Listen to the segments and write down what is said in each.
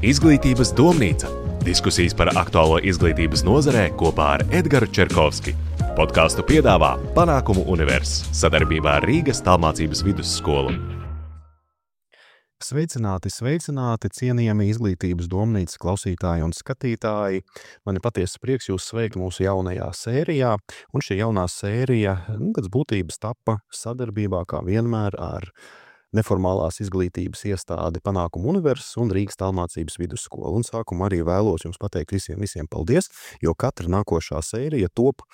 Izglītības domnīca – diskusijas par aktuālo izglītības nozarē kopā ar Edgaru Čerkovski. Podkāstu piedāvā Panākumu Univers sadarbībā ar Rīgas tālmācības vidusskolu. Sveicināti, cienījami izglītības domnīcas klausītāji un skatītāji. Man ir patiesa prieks jūs sveikt mūsu jaunajā sērijā, un šī jaunā sērija pēc būtības tapa sadarbībā kā vienmēr ar neformālās izglītības iestādi Panākumu Univers un Rīgas tālmācības vidusskolu. Un sākumā arī vēlos jums pateikt visiem paldies, jo katra nākošā sērija top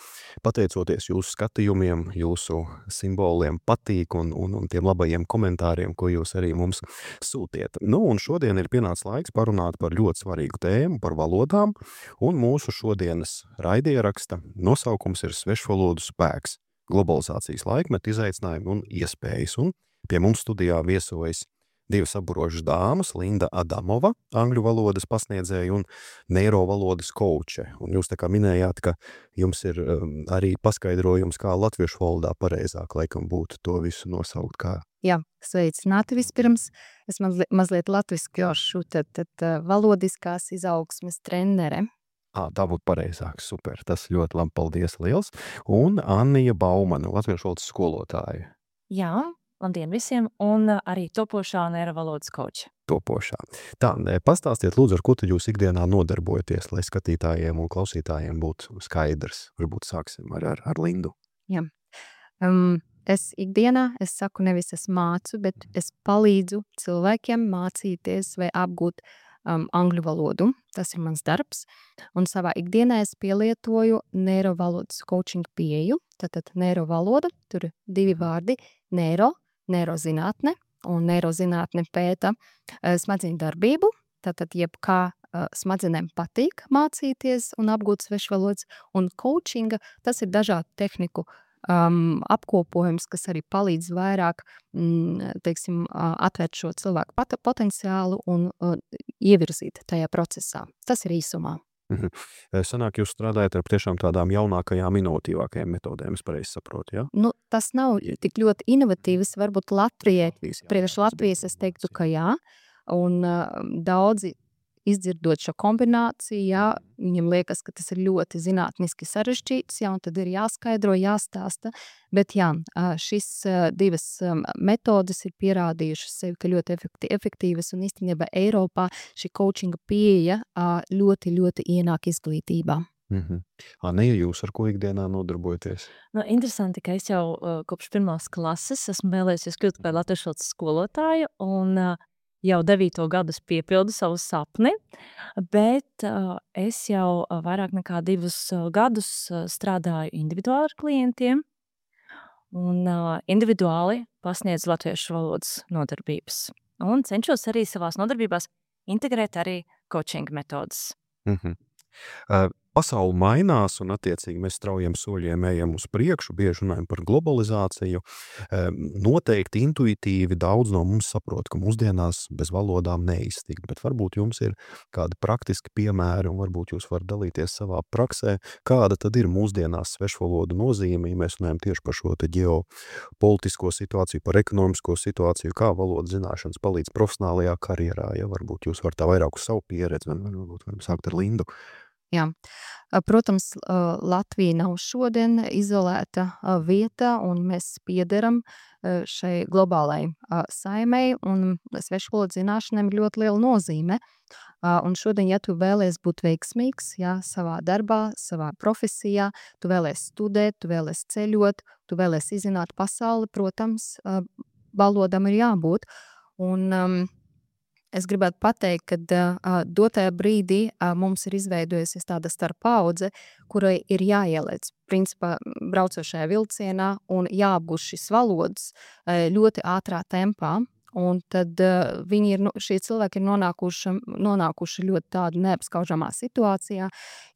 pateicoties jūsu skatījumiem, jūsu simboliem patīk un tiem labajiem komentāriem, ko jūs arī mums sūtiet. Un šodien ir pienācis laiks parunāt par ļoti svarīgu tēmu, par valodām, un mūsu šodienas raidieraksta nosaukums ir Svešvalodu spēks, globalizācijas laikmeta izaicinājumi un iespējas. Un pie mums studijā viesojas divas aburošas dāmas, Linda Adamova, angļu valodas pasniedzēja un neirovalodas kouče. Un jūs tā kā minējāt, ka jums ir arī paskaidrojums, kā latviešu valodā pareizāk laikam būtu to visu nosaukt kā. Jā, sveicināti vispirms. Es mazliet latviskošu, tad valodiskās izaugsmes trenere. Tā būtu pareizāk, super, tas ļoti labi, paldies liels. Un Annija Baumana, latviešu valodas skolotāja. Jā, labdien visiem, un arī topošā neirovalodas kouče. Topošā. Tā, pastāstiet lūdzu, ar ko tad jūs ikdienā nodarbojaties, lai skatītājiem un klausītājiem būtu skaidrs. Varbūt sāksim ar Lindu. Jā. Es ikdienā, es saku nevis es mācu, bet es palīdzu cilvēkiem mācīties vai apgūt angļu valodu. Tas ir mans darbs. Un savā ikdienā es pielietoju neirovalodas coaching pieeju. Tātad neirovaloda, tur ir divi vārdi, neirozinātne, un neirozinātne pēta smadzeņu darbību. Tātad jebkā smadzenēm patīk mācīties un apgūt svešvalodas, un coachinga, tas ir dažādu tehniku apkopojums, kas arī palīdz vairāk, atvērt šo cilvēku potenciālu un ievirzīt tajā procesā. Tas ir īsumā. Sanāk, jūs strādājat ar tiešām tādām jaunākajām, inovatīvākajām metodēm, es pareizi saprotu, jā? Tas nav tik ļoti inovatīvs, varbūt Latvijai, priekš Latvijas es teiktu, ka jā, un daudzi izdzirdot šo kombināciju, jā, viņam liekas, ka tas ir ļoti zinātniski sarežģīts, jā, un tad ir jāskaidro, jāstāsta, bet jā, šis divas metodes ir pierādījušas sevi, ka ļoti efektīvas, un īstenībā Eiropā šī coachinga pieeja ļoti ienāk izglītībā. Anija, jūs ar ko ikdienā nodarbojaties? Interesanti, ka es jau kopš pirmās klases esmu vēlējusies kļūt par latviešu valodas skolotāju, un jau 9. gadus piepildu savu sapni, bet es jau vairāk nekā 2 gadus strādāju individuāli ar klientiem un individuāli pasniedzu latviešu valodas nodarbības. Un cenšos arī savās nodarbībās integrēt arī coaching metodas. Pasaule mainās un attiecīgi mēs straujiem soļiem ejam uz priekšu, bieži runājam par globalizāciju. Noteikti intuitīvi daudz no mums saprot, ka mūsdienās bez valodām neiztikt, bet varbūt jums ir kādi praktiski piemēri un varbūt jūs varat dalīties savā praksē, kāda tad ir mūsdienās svešvalodu nozīme, ja mēs runājam tieši par šo te ģeopolitisko situāciju, par ekonomisko situāciju, kā valodas zināšanas palīdz profesionālajā karjerā, ja varbūt jūs varat tā vairāk uz savu pieredzi, varbūt varam sākt ar Lindu. Jā. Protams, Latvija nav šodien izolēta vieta, un mēs piederam šai globālai saimei, un svešvalodu zināšanām ir ļoti liela nozīme. Un šodien, ja tu vēlies būt veiksmīgs, jā, savā darbā, savā profesijā, tu vēlies studēt, tu vēlies ceļot, tu vēlies izzināt pasauli, protams, valodām ir jābūt. Un es gribētu pateikt, ka dotajā brīdī mums ir izveidojusies tāda starppaudze, kurai ir jāieliec, principā, braucošajā vilcienā un jāapgūst šis valodas ļoti ātrā tempā. Un tad šie cilvēki ir nonākuši ļoti tādu neapskaužamā situācijā,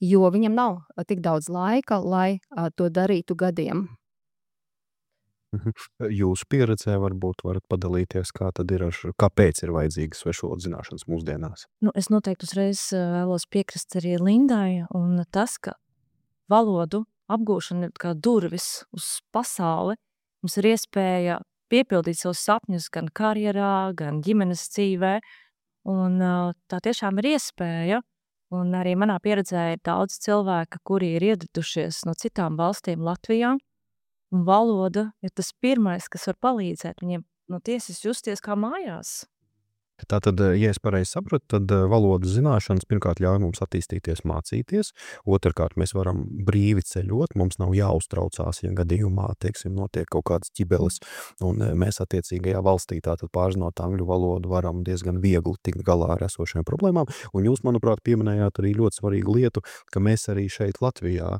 jo viņam nav tik daudz laika, lai to darītu gadiem. Jūsu pieredzē varbūt varat padalīties, kā tad ir kāpēc ir vajadzīgas svešvalodu zināšanas mūsdienās? Es noteikti uzreiz vēlos piekrist arī Lindai, un tas, ka valodu apgūšana ir kā durvis uz pasauli, mums ir iespēja piepildīt savus sapņus gan karjerā, gan ģimenes dzīvē, Un tā tiešām ir iespēja. Un arī manā pieredzē ir daudz cilvēku, kuri ir ieradušies no citām valstīm Latvijā. Un valoda ir tas pirmais, kas var palīdzēt viņiem tiesas justies kā mājās. Tātad, ja es pareizi sapratu, tad valodas zināšanas pirmkārt ļauj mums attīstīties, mācīties. Otrkārt, mēs varam brīvi ceļot, mums nav jāuztraucās, ja gadījumā, teiksim, notiek kaut kāds ķibelis, un mēs attiecīgajā valstī tātad pārzinot angļu valodu varam diezgan viegli tikt galā ar esošajām problēmām. Un jūs, manuprāt, pieminējāt arī ļoti svarīgu lietu, ka mēs arī šeit Latvijā,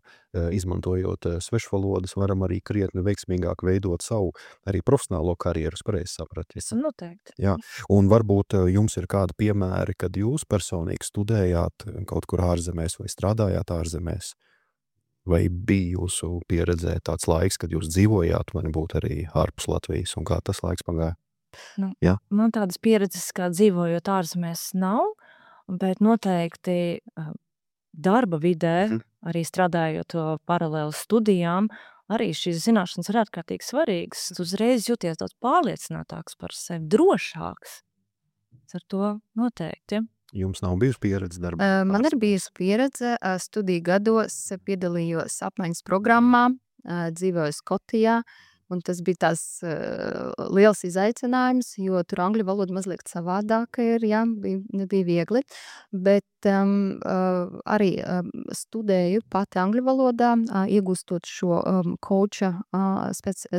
izmantojot svešvalodas, varam arī krietni veiksmīgāk veidot savu arī profesionālo karjeru, pareizi sapratu. Noteikti. Jā, un varbūt jums ir kādi piemēri, kad jūs personīgi studējāt kaut kur ārzemēs vai strādājāt ārzemēs? Vai bija jūsu pieredzē tāds laiks, kad jūs dzīvojāt, vai nebūtu arī ārpus Latvijas, un kā tas laiks pagāja? Jā. Man tādas pieredzes, kā dzīvojot ārzemēs, nav, bet noteikti darba vidē, arī strādājot paralēli studijām, arī šīs zināšanas ir ārkārtīgi svarīgas. Uzreiz jūties daudz pārliecinātāks par sevi, drošāks. Ar to noteikti. Jums nav bijusi pieredze darbā? Man ir bijusi pieredze. Studiju gados piedalījos apmaiņas programmā, dzīvoju Skotijā. Un tas bija tās liels izaicinājums, jo tur angļu valoda mazliet savādāka ir, jā, nebija viegli. Bet arī studēju pati angļu valodā, iegūstot šo coacha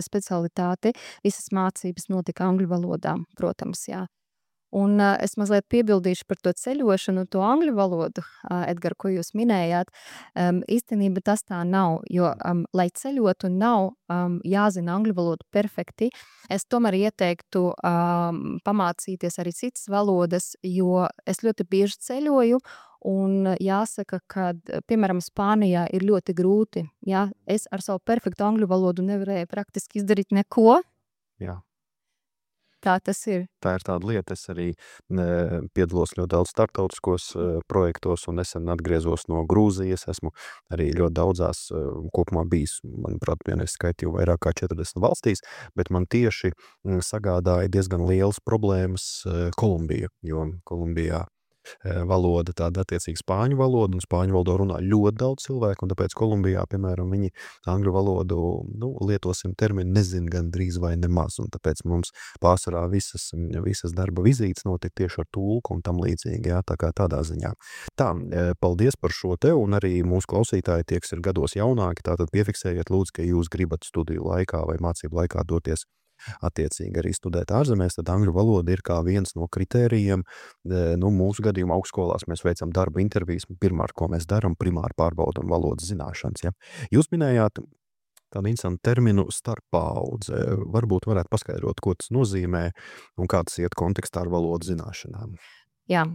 specialitāti. Visas mācības notika angļu valodā, protams, jā. Un es mazliet piebildīšu par to ceļošanu, to angļu valodu, Edgar, ko jūs minējāt. Īstenībā tas tā nav, jo, lai ceļotu, nav jāzina angļu valodu perfekti. Es tomēr ieteiktu pamācīties arī citas valodas, jo es ļoti bieži ceļoju, un jāsaka, ka, piemēram, Spānijā ir ļoti grūti. Jā, es ar savu perfektu angļu valodu nevarēju praktiski izdarīt neko. Jā. Tā tas ir. Tā ir tāda lieta, es arī piedalos ļoti daudz starptautiskos projektos un nesen atgriezos no Grūzijas. Esmu arī ļoti daudzās kopumā bijis, manuprāt, vienreiz skaitīju vairāk kā 40 valstīs, bet man tieši sagādāja diezgan lielas problēmas Kolumbija, jo Kolumbijā valoda tāda attiecīgi spāņu valoda, un spāņu valodā runā ļoti daudz cilvēku, un tāpēc Kolumbijā, piemēram, viņi angļu valodu, lietosim terminu, nezin gandrīz vai nemaz, un tāpēc mums pārsvarā visas darba vizītes notiek tieši ar tulku un tam līdzīgi, jā, tā kā tādā ziņā. Tā, paldies par šo te, un arī mūsu klausītāji tie, kas ir gados jaunāki, tātad piefiksējiet lūdzu, ka jūs gribat studiju laikā vai mācību laikā doties attiecīgi arī studēt ārzemēs, tad angļu valoda ir kā viens no kritērijiem. Mūsu gadījumā augstskolās mēs veicam darba intervijas, pirmkārt, ko mēs daram, primāri pārbaudam valodas zināšanas. Ja? Jūs minējāt tādu interesantu terminu starppaudze. Varbūt varētu paskaidrot, ko tas nozīmē un kā tas iet kontekstā ar valodas zināšanām. Jā,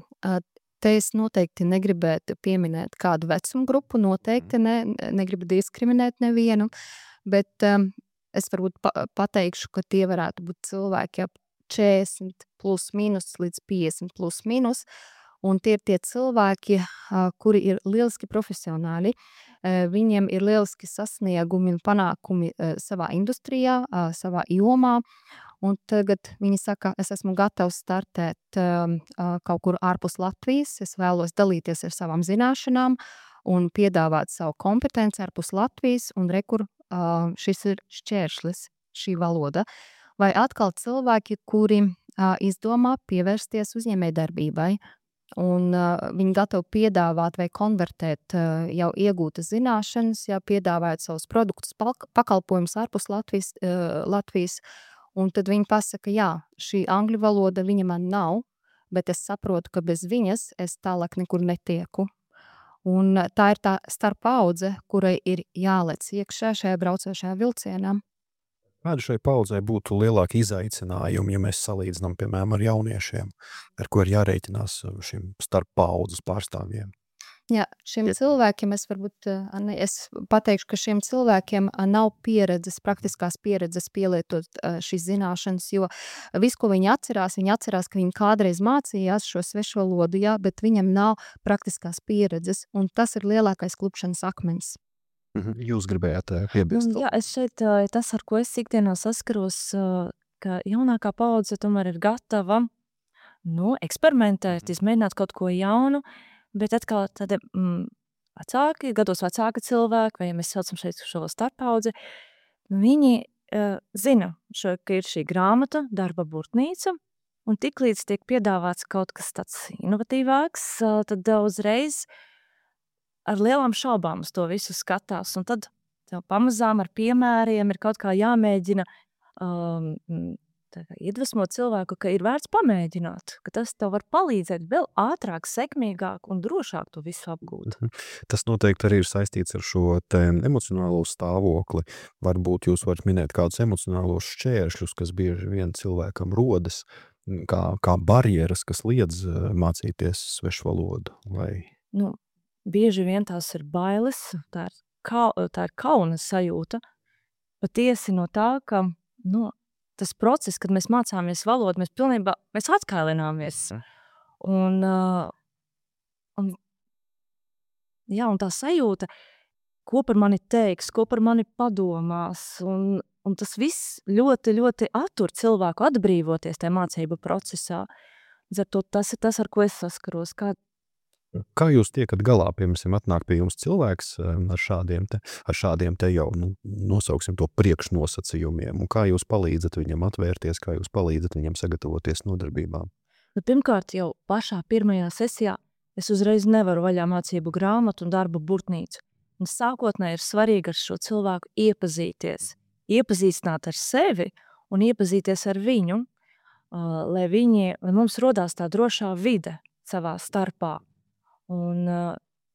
te es noteikti negribētu pieminēt kādu vecumu grupu, noteikti negribu diskriminēt nevienu, bet es varbūt pateikšu, ka tie varētu būt cilvēki ap 40 plus mīnus līdz 50 plus mīnus, un tie ir tie cilvēki, kuri ir lieliski profesionāli, viņiem ir lieliski sasniegumi un panākumi savā industrijā, savā jomā, un tagad viņi saka, es esmu gatavs startēt kaut kur ārpus Latvijas, es vēlos dalīties ar savām zināšanām un piedāvāt savu kompetenci ārpus Latvijas, un rekur šis ir šķēršlis, šī valoda. Vai atkal cilvēki, kuri izdomā pievērsties uzņēmējdarbībai, un viņi gatavi piedāvāt vai konvertēt jau iegūtas zināšanas, jau piedāvājot savus produktus, pakalpojumus ārpus Latvijas, un tad viņi pasaka, jā, šī angļu valoda viņa man nav, bet es saprotu, ka bez viņas es tālāk nekur netieku. Un tā ir tā starppaudze, kurai ir jālec iekšā šajā braucošajā vilcienā. Kādi šai paudzei būtu lielāki izaicinājumi, ja mēs salīdzinām, piemēram, ar jauniešiem, ar ko ir jārēķinās šiem starppaudzes pārstāvjiem? Jā, šiem cilvēkiem es pateikšu, ka šiem cilvēkiem nav pieredzes, praktiskās pieredzes pielietot šīs zināšanas, jo viss, ko viņi atcerās, ka viņi kādreiz mācījās šo svešvalodu, jā, bet viņam nav praktiskās pieredzes, un tas ir lielākais klupšanas akmens. Jūs gribējāt piebilst? Jā, es šeit, tas, ar ko es ikdienā saskaros, ka jaunākā paudze tomēr ir gatava eksperimentēt, izmēģināt kaut ko jaunu, bet atkal tādi vecāki, gados vecāki cilvēki, vai ja mēs saucam šeit šo starpaudzi, viņi zina, ka ir šī grāmata, darba burtnīca, un tiklīdz tiek piedāvāts kaut kas tāds inovatīvāks, tad uzreiz ar lielām šaubām uz to visu skatās, un tad tev pamazām ar piemēriem ir kaut kā jāmēģina iedvesmot cilvēku, ka ir vērts pamēģināt, ka tas tev var palīdzēt vēl ātrāk, sekmīgāk un drošāk to visu apgūt. Tas noteikti arī ir saistīts ar šo te emocionālo stāvokli. Varbūt jūs varat minēt kādus emocionālos šķēršļus, kas bieži vien cilvēkam rodas, kā barjeras, kas liedz mācīties svešu valodu. Bieži vien tās ir bailes, tā ir kauna sajūta, patiesi no tā, ka tas process, kad mēs mācāmies valodu, mēs atkailināmies. Un tā sajūta, ko par mani teiks, ko par mani padomās, un tas viss ļoti, ļoti attur cilvēku atbrīvoties tajā mācību procesā. Tas ir tas, ar ko es saskaros. Kā jūs tiekat galā, piemēram, atnāk pie jums cilvēks ar šādiem te jau, nosauksim to priekšnosacījumiem, un kā jūs palīdzat viņam atvērties, kā jūs palīdzat viņam sagatavoties nodarbībām? Pirmkārt, jau pašā pirmajā sesijā es uzreiz nevaru vaļā mācību grāmatu un darba burtnīcu. Un sākotnēji ir svarīgi ar šo cilvēku iepazīties, iepazīstināt ar sevi un iepazīties ar viņu, lai mums rodās tā drošā vide savā starpā. Un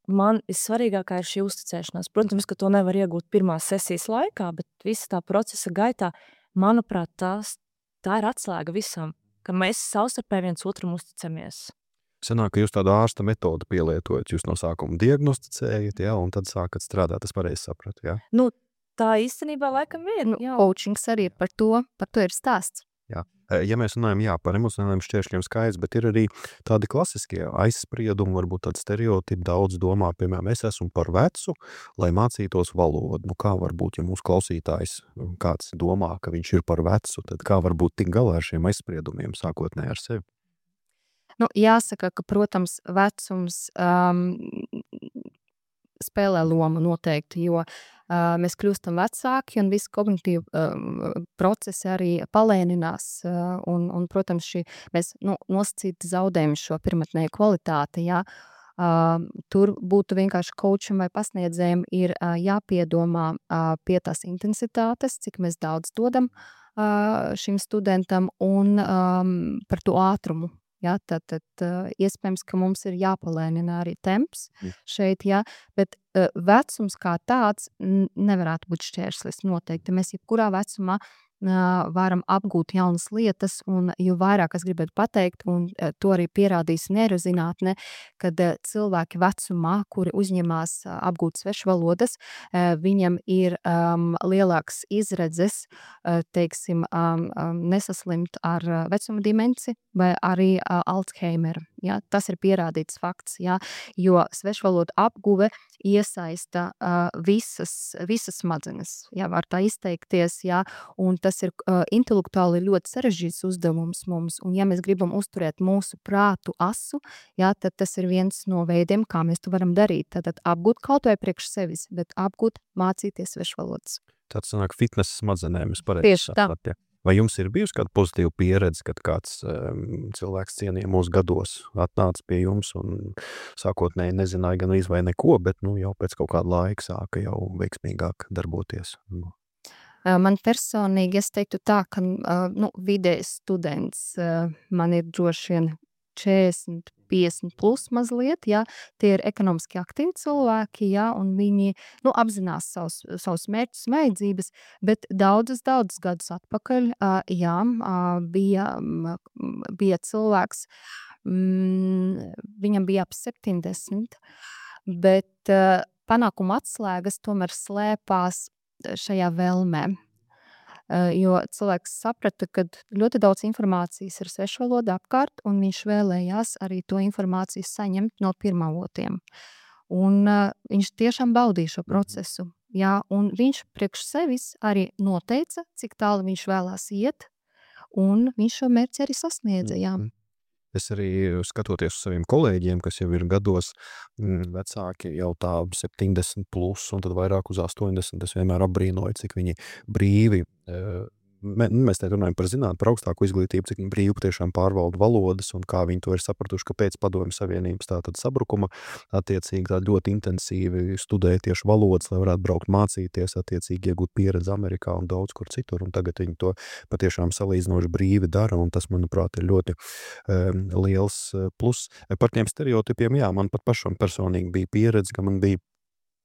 man vissvarīgākā ir šī uzticēšanās. Protams, ka to nevar iegūt pirmās sesijas laikā, bet visa tā procesa gaitā, manuprāt, tā ir atslēga visam, ka mēs savstarpēji viens otram uzticamies. Sanāk, ka jūs tādu ārsta metodu pielietojat, jūs no sākuma diagnosticējat, un tad sākat strādāt, tas pareizi saprat, jā? Tā īstenībā laikam ir. Coachings arī par to ir stāsts. Jā. Ja mēs runājam par emocionāliem šķēršļiem skaidrs, bet ir arī tādi klasiskie aizspriedumi, varbūt tādi stereotipi, daudz domā, piemēram, es esmu par vecu, lai mācītos valodu. Kā varbūt, ja mūsu klausītājs kāds domā, ka viņš ir par vecu, tad kā varbūt tik galā ar šiem aizspriedumiem sākotnēji ar sevi? Jāsaka, ka, protams, vecums spēlē lomu noteikti, jo mēs kļūstam vecāki un visi kognitīvi procesi arī palēninās un protams, mēs nosacīti zaudējam šo pirmatnēju kvalitāti, tur būtu vienkārši coacham vai pasniedzējiem ir jāpiedomā pie tās intensitātes, cik mēs daudz dodam šim studentam un par to ātrumu. Tad iespējams, ka mums ir jāpalēnina arī temps šeit, bet vecums kā tāds nevarētu būt šķērslis noteikti. Mēs jebkurā vecumā varam apgūt jaunas lietas, un jo vairāk es gribētu pateikt, un to arī pierādīs neirozinātne, kad cilvēki vecumā, kuri uzņemās apgūt svešvalodas, viņam ir lielāks izredzes, teiksim, nesaslimt ar vecuma dimenci vai arī Alzheimeru. Tas ir pierādīts fakts, jo svešvalodu apguve iesaista visas smadzenes, var tā izteikties, un tas ir intelektuāli ļoti sarežģīts uzdevums mums, un ja mēs gribam uzturēt mūsu prātu asu, tad tas ir viens no veidiem, kā mēs to varam darīt. Tātad apgūt kaut vai priekš sevis, bet apgūt mācīties svešvalodas. Tāds sanāk fitness smadzenēm, es pareizi sapratu. Vai jums ir bijusi kāda pozitīva pieredze, kad kāds cilvēks cienījamos gados atnāca pie jums un sākotnēji nezināja gan vai neko, bet jau pēc kaut kāda laika sāka jau veiksmīgāk darboties? Man personīgi, es teiktu tā, ka vidējs students man ir droši vien 40, 50 plus mazliet, tie ir ekonomiski aktīvi cilvēki, un viņi apzinās savus mērķus, vajadzības, bet daudzus gadus atpakaļ, bija cilvēks, viņam bija ap 70, bet panākuma atslēgas tomēr slēpās šajā vēlmē. Jo cilvēks saprata, ka ļoti daudz informācijas ir svešvalodā apkārt, un viņš vēlējās arī to informāciju saņemt no pirmavotiem. Un viņš tiešām baudīja šo procesu. Un viņš priekš sevis arī noteica, cik tālu viņš vēlās iet, un viņš šo mērķi arī sasniedza. Es arī skatoties uz saviem kolēģiem, kas jau ir gados vecāki, jau tā 70 plus, un tad vairāk uz 80, es vienmēr apbrīnoju, cik viņi brīvi, mēs te runājam par zinātni, par augstāku izglītību, cik viņi brīvi tiešām pārvalda valodas, un kā viņi to ir sapratuši, ka pēc Padomju Savienības tātad sabrukuma attiecīgi tā ļoti intensīvi studēja tieši valodas, lai varētu braukt mācīties, attiecīgi iegūt pieredzi Amerikā un daudz kur citur, un tagad viņi to patiešām salīdzinoši brīvi dara, un tas, manuprāt, ir ļoti liels plus. Par tiem stereotipiem, jā, man pat pašam personīgi bija pieredze, ka man bija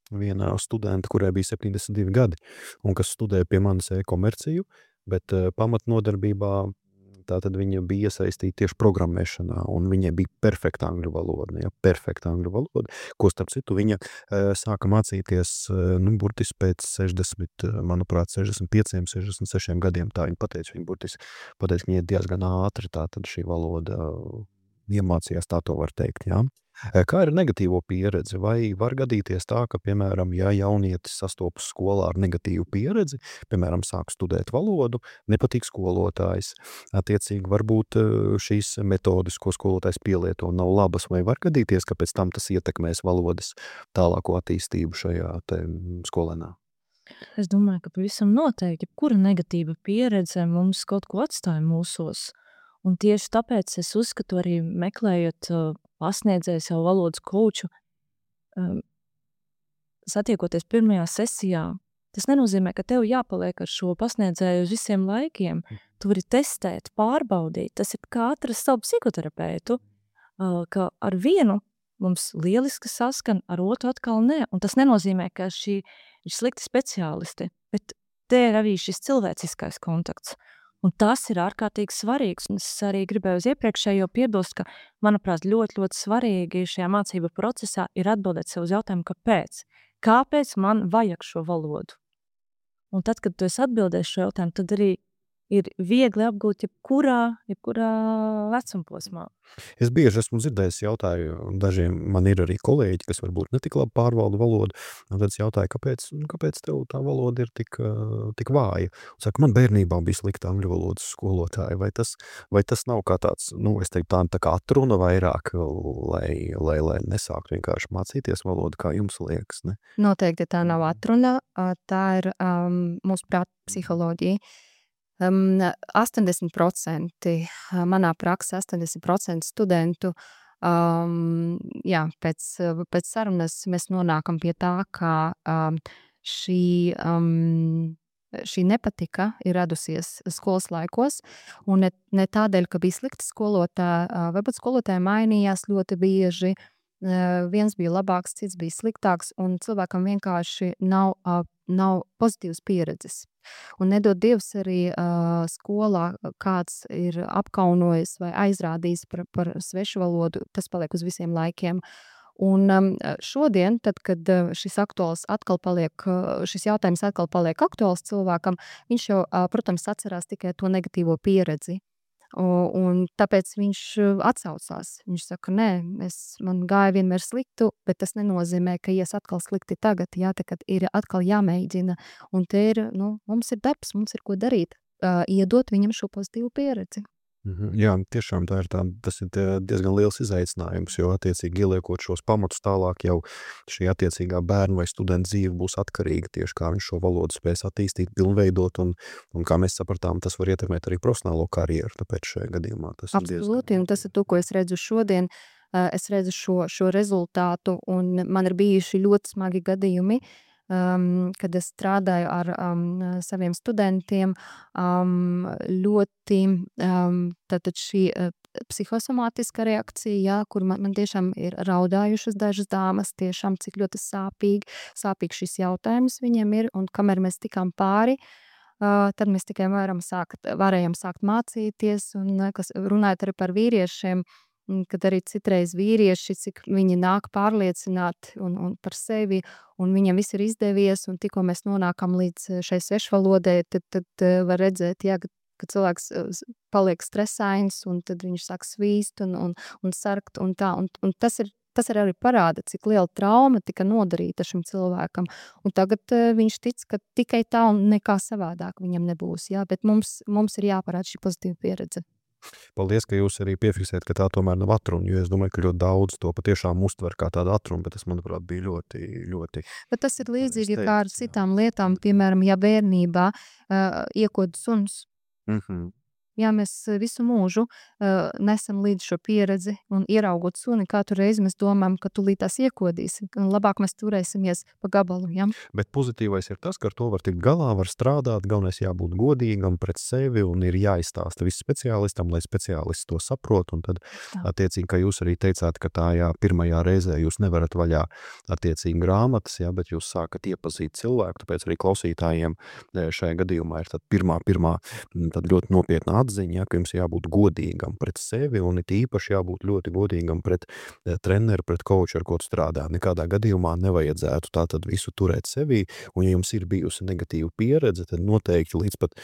viena studenta, kurai bija 72 gadi, un kas studēja pie manis e-komerciju, bet pamatnodarbībā tātad viņa bija iesaistīta tieši programmēšanā, un viņai bija perfekta angļu valoda, perfekta angļu valoda, ko starp citu viņa sāka mācīties, burtiski pēc 60, manuprāt, 65, 66 gadiem, tā viņa pateica, ka viņa diezgan ātri tātad šī valoda iemācījās, tā to var teikt, jā. Kā ir negatīvo pieredzi? Vai var gadīties tā, ka, piemēram, ja jaunietis sastopas skolā ar negatīvu pieredzi, piemēram, sāk studēt valodu, nepatīk skolotājs, attiecīgi varbūt šīs metodes, ko skolotājs pielieto, nav labas, vai var gadīties, ka pēc tam tas ietekmēs valodas tālāko attīstību šajā skolēnā? Es domāju, ka pavisam noteikti, kura negatīva pieredze mums kaut ko atstāja mūsos. Un tieši tāpēc es uzskatu arī meklējot pasniedzēju savu valodas kouču, satiekoties pirmajā sesijā, tas nenozīmē, ka tev jāpaliek ar šo pasniedzēju uz visiem laikiem. Tu vari testēt, pārbaudīt. Tas ir kā atrast savu psihoterapeitu, ka ar vienu mums lieliski saskan, ar otru atkal ne. Un tas nenozīmē, ka šī ir slikti speciālisti, bet te ir arī šis cilvēciskais kontakts. Un tas ir ārkārtīgi svarīgs. Un es arī gribēju uz iepriekšējo piebilst, ka, manuprāt, ļoti, ļoti svarīgi šajā mācību procesā ir atbildēt sev uz jautājumu, kāpēc? Kāpēc man vajag šo valodu? Un tad, kad tu esi atbildējis šo jautājumu, tad arī ir viegli apgūt jebkurā vecumposmā. Es bieži esmu dzirdējis jautāju, dažiem man ir arī kolēģi, kas varbūt netik labi pārvalda valodu, un tad es jautāju, kāpēc tev tā valoda ir tik vāja? Un saka, man bērnībā bija slikta angļu valodas skolotāja, vai tas nav kā tāds, es teiktu tā kā atruna vairāk, lai nesāktu vienkārši mācīties valodu, kā jums liekas, ne? Noteikti tā nav atruna, tā ir mūsu prāta psiholoģija. 80% manā praksē, 80% studentu, pēc sarunas mēs nonākam pie tā, ka šī nepatika ir radusies skolas laikos, un ne tādēļ, ka bija slikti skolotāji, varbūt skolotāji mainījās ļoti bieži, viens bija labāks, cits bija sliktāks, un cilvēkam vienkārši nav pozitīvas pieredzes. Un nedod Dievs arī skolā kāds ir apkaunojis vai aizrādījis par svešu valodu, tas paliek uz visiem laikiem. Un šodien, tad, kad šis jautājums atkal paliek aktuāls cilvēkam, viņš jau, protams, atcerās tikai to negatīvo pieredzi. Un tāpēc viņš atsaucās. Viņš saka, nē, man gāja vienmēr sliktu, bet tas nenozīmē, ka ies atkal slikti tagad, tad ir atkal jāmēģina. Un te ir, mums ir darbs, mums ir ko darīt, iedot viņam šo pozitīvu pieredzi. Jā, tiešām tas ir diezgan liels izaicinājums, jo attiecīgi ieliekot šos pamatus tālāk jau šī attiecīgā bērna vai studenta dzīve būs atkarīga tieši kā viņš šo valodu spēs attīstīt, pilnveidot un kā mēs sapratām, tas var ietekmēt arī profesionālo karjeru, tāpēc šajā gadījumā tas ir diezgan. Absolūti, un tas ir to, ko es redzu šodien. Es redzu šo rezultātu, un man ir bijuši ļoti smagi gadījumi, kad es strādāju ar saviem studentiem, ļoti tātad šī psihosomātiska reakcija, kur man tiešām ir raudājušas dažas dāmas, tiešām cik ļoti sāpīgi šis jautājums viņiem ir, un kamēr mēs tikām pāri, tad mēs tikai varējām sākt mācīties, un kas runājot arī par vīriešiem, kad arī citreiz vīrieši, cik viņi nāk pārliecināti un par sevi, un viņam viss ir izdevies, un tikko mēs nonākam līdz šai svešvalodai, tad var redzēt, ka cilvēks paliek stresains, un tad viņš sāk svīst un sarkt, un tā, un tas ir arī parāda, cik liela trauma tika nodarīta šim cilvēkam, un tagad viņš tic, ka tikai tā un nekā savādāk viņam nebūs, bet mums ir jāparāda šī pozitīva pieredze. Paldies, ka jūs arī piefiksējat, ka tā tomēr nav atruna, jo es domāju, ka ļoti daudz to patiešām uztver kā tādu atrunu, bet tas, manuprāt, bija ļoti, ļoti Bet tas ir līdzīgi pareizi kā ar teikts, jā. citām lietām, piemēram, ja bērnībā iekod suns. Jā, mēs visu mūžu nesam līdz šo pieredzi un ieraugot suni, katru reizi mēs domājam, ka tūlīt tās iekodīsi, un labāk mēs turēsimies pa gabalu, ja? Bet pozitīvais ir tas, ka ar to var tikt galā, var strādāt, galvenais jābūt godīgam pret sevi un ir jāizstāsta viss speciālistam, lai speciālists to saprot, un tad attiecīgi, kā jūs arī teicāt, ka tā pirmajā reizē jūs nevarat vaļā attiecīgi grāmatas, jā, bet jūs sākat iepazīt cilvēku, tāpēc arī klausītājiem šajā gadījumā ir tad pirmā tad ļoti nopietna atziņa, ja, ka jums jābūt godīgam pret sevi un it īpaši jābūt ļoti godīgam pret treneru, pret coachu, ar ko tu strādā. Nekādā gadījumā nevajadzētu tā tad visu turēt sevī, un ja jums ir bijusi negatīva pieredze, tad noteikti līdz pat,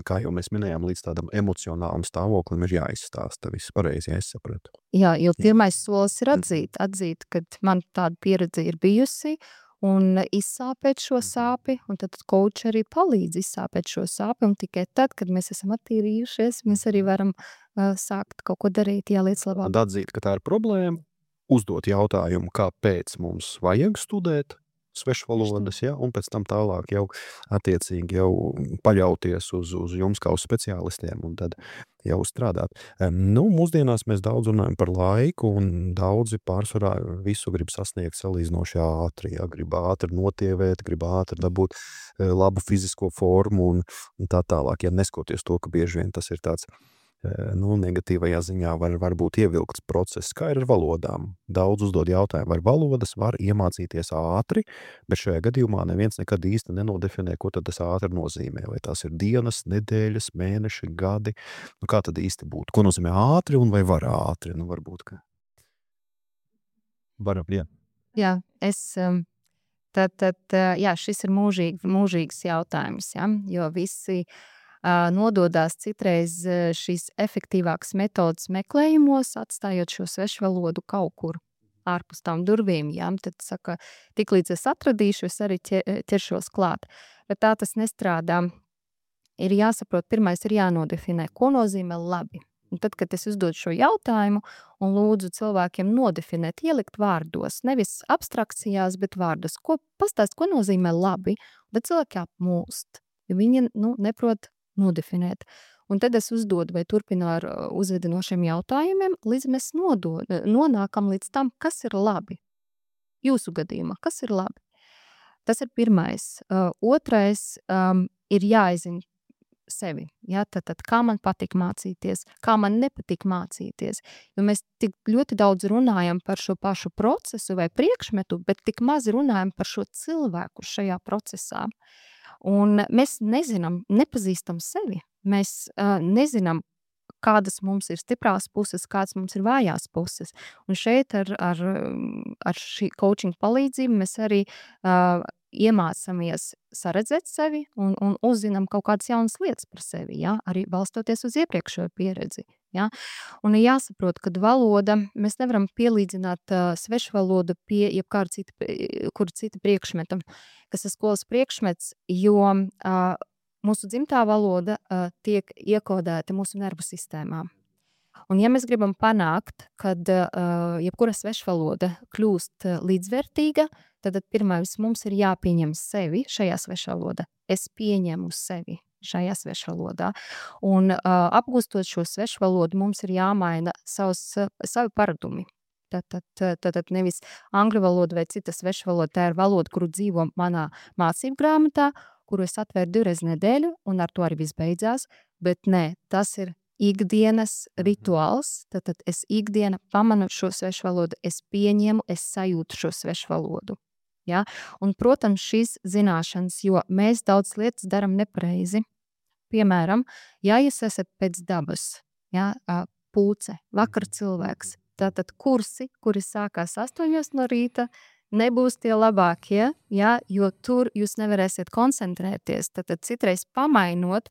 kā jau mēs minējām, līdz tādam emocionālam stāvoklim ir jāizstāsta viss pareizi, ja es sapratu. Jā, jo pirmais solis ir atzīt, kad man tāda pieredze ir bijusi, un izsāpēt šo sāpi, un tad coach arī palīdz izsāpēt šo sāpi, un tikai tad, kad mēs esam attīrījušies, mēs arī varam sākt kaut ko darīt, jā, lietas labāk. Tad atzīt, ka tā ir problēma, uzdot jautājumu, kāpēc mums vajag studēt svešvalodas, ja, un pēc tam tālāk jau attiecīgi jau paļauties uz jums kā uz speciālistiem un tad jau strādāt. Mūsdienās mēs daudz runājam par laiku un daudzi pārsvarā visu grib sasniegt salīdzinoši ātri, ja, grib ātri notievēt, grib ātri dabūt labu fizisko formu un tā tālāk, ja neskoties to, ka bieži vien tas ir tāds negatīvajā ziņā var būt ievilkts process, kā ir ar valodām. Daudz uzdod jautājumu, vai valodas var iemācīties ātri, bet šajā gadījumā neviens nekad īsti nenodefinē, ko tad tas ātri nozīmē. Vai tās ir dienas, nedēļas, mēneši, gadi. Kā tad īsti būtu? Ko nozīmē ātri un vai var ātri? Varbūt, ka varam, jā. Jā, jā, šis ir mūžīgs jautājums, ja? Jo visi nododās citreiz šīs efektīvākas metodas meklējumos, atstājot šo svešvalodu kaut kur ārpus tām durvīm, ja? Tad saka, tik līdz es atradīšu, es arī ķeršos klāt. Bet tā tas nestrādā. Ir jāsaprot, pirmais ir jānodefinē, ko nozīmē labi. Un tad, kad es uzdodu šo jautājumu un lūdzu cilvēkiem nodefinēt, ielikt vārdos, nevis abstrakcijās, bet vārdos, pastāst, ko nozīmē labi, bet cilvēki apmulst, jo viņi neprot nodefinēt. Un tad es uzdodu vai turpinu ar uzvedinošiem jautājumiem, līdz mēs nonākam līdz tam, kas ir labi. Jūsu gadījumā, kas ir labi? Tas ir pirmais. Otrais ir jāizzina sevi. Ja? Tad kā man patīk mācīties, kā man nepatīk mācīties. Jo mēs tik ļoti daudz runājam par šo pašu procesu vai priekšmetu, bet tik maz runājam par šo cilvēku šajā procesā. Un mēs nepazīstam sevi. Mēs nezinām, kādas mums ir stiprās puses, kādas mums ir vājās puses. Un šeit ar šī coaching palīdzību mēs arī iemācāmies saredzēt sevi un uzzinām kaut kādas jaunas lietas par sevi, ja? Arī balstoties uz iepriekšējo pieredzi. Ja? Un ir jāsaprot, ka valoda, mēs nevaram pielīdzināt svešvalodu pie jebkura cita priekšmeta, kas ir skolas priekšmets, jo mūsu dzimtā valoda tiek iekodēta mūsu nervu sistēmā. Un ja mēs gribam panākt, kad jebkura svešvaloda kļūst līdzvērtīga, tad pirmais mums ir jāpieņem sevi šajā svešvalodā. Es pieņemu sevi šajā svešvalodā. Un apgūstot šo svešvalodu, mums ir jāmaina savi paradumi. Tad nevis angļu valoda vai cita svešvaloda, tā ir valoda, kuru dzīvo manā mācību grāmatā, kuru es atvēru 2 reizes nedēļu, un ar to arī viss beidzās, bet nē, tas ir ikdienas rituāls, tad es ikdiena pamanu šo svešvalodu, es pieņemu, es sajūtu šo svešvalodu. Ja? Un, protams, šīs zināšanas, jo mēs daudz lietas daram nepareizi. Piemēram, ja jūs esat pēc dabas, ja, pūce, vakar cilvēks, tātad kursi, kuri sākās 8 no rīta, nebūs tie labākie, ja, jo tur jūs nevarēsiet koncentrēties. Tad citreiz pamainot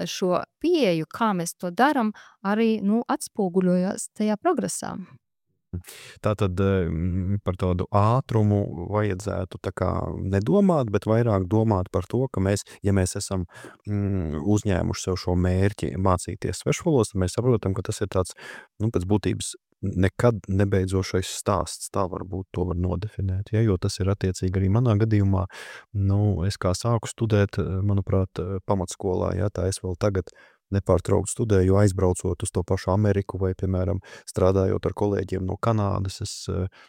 šo pieeju, kā mēs to daram, arī atspoguļojas tajā progresā. Tātad par tādu ātrumu vajadzētu tā kā nedomāt, bet vairāk domāt par to, ka mēs, ja mēs esam uzņēmuši sev šo mērķi mācīties svešvalodas, tad mēs saprotam, ka tas ir tāds, pēc būtības nekad nebeidzošais stāsts, tā varbūt to var nodefinēt, ja, jo tas ir attiecīgi arī manā gadījumā, es kā sāku studēt, manuprāt, pamatskolā, ja, tā es vēl tagad nepārtraukti studēju, aizbraucot uz to pašu Ameriku vai, piemēram, strādājot ar kolēģiem no Kanādas, es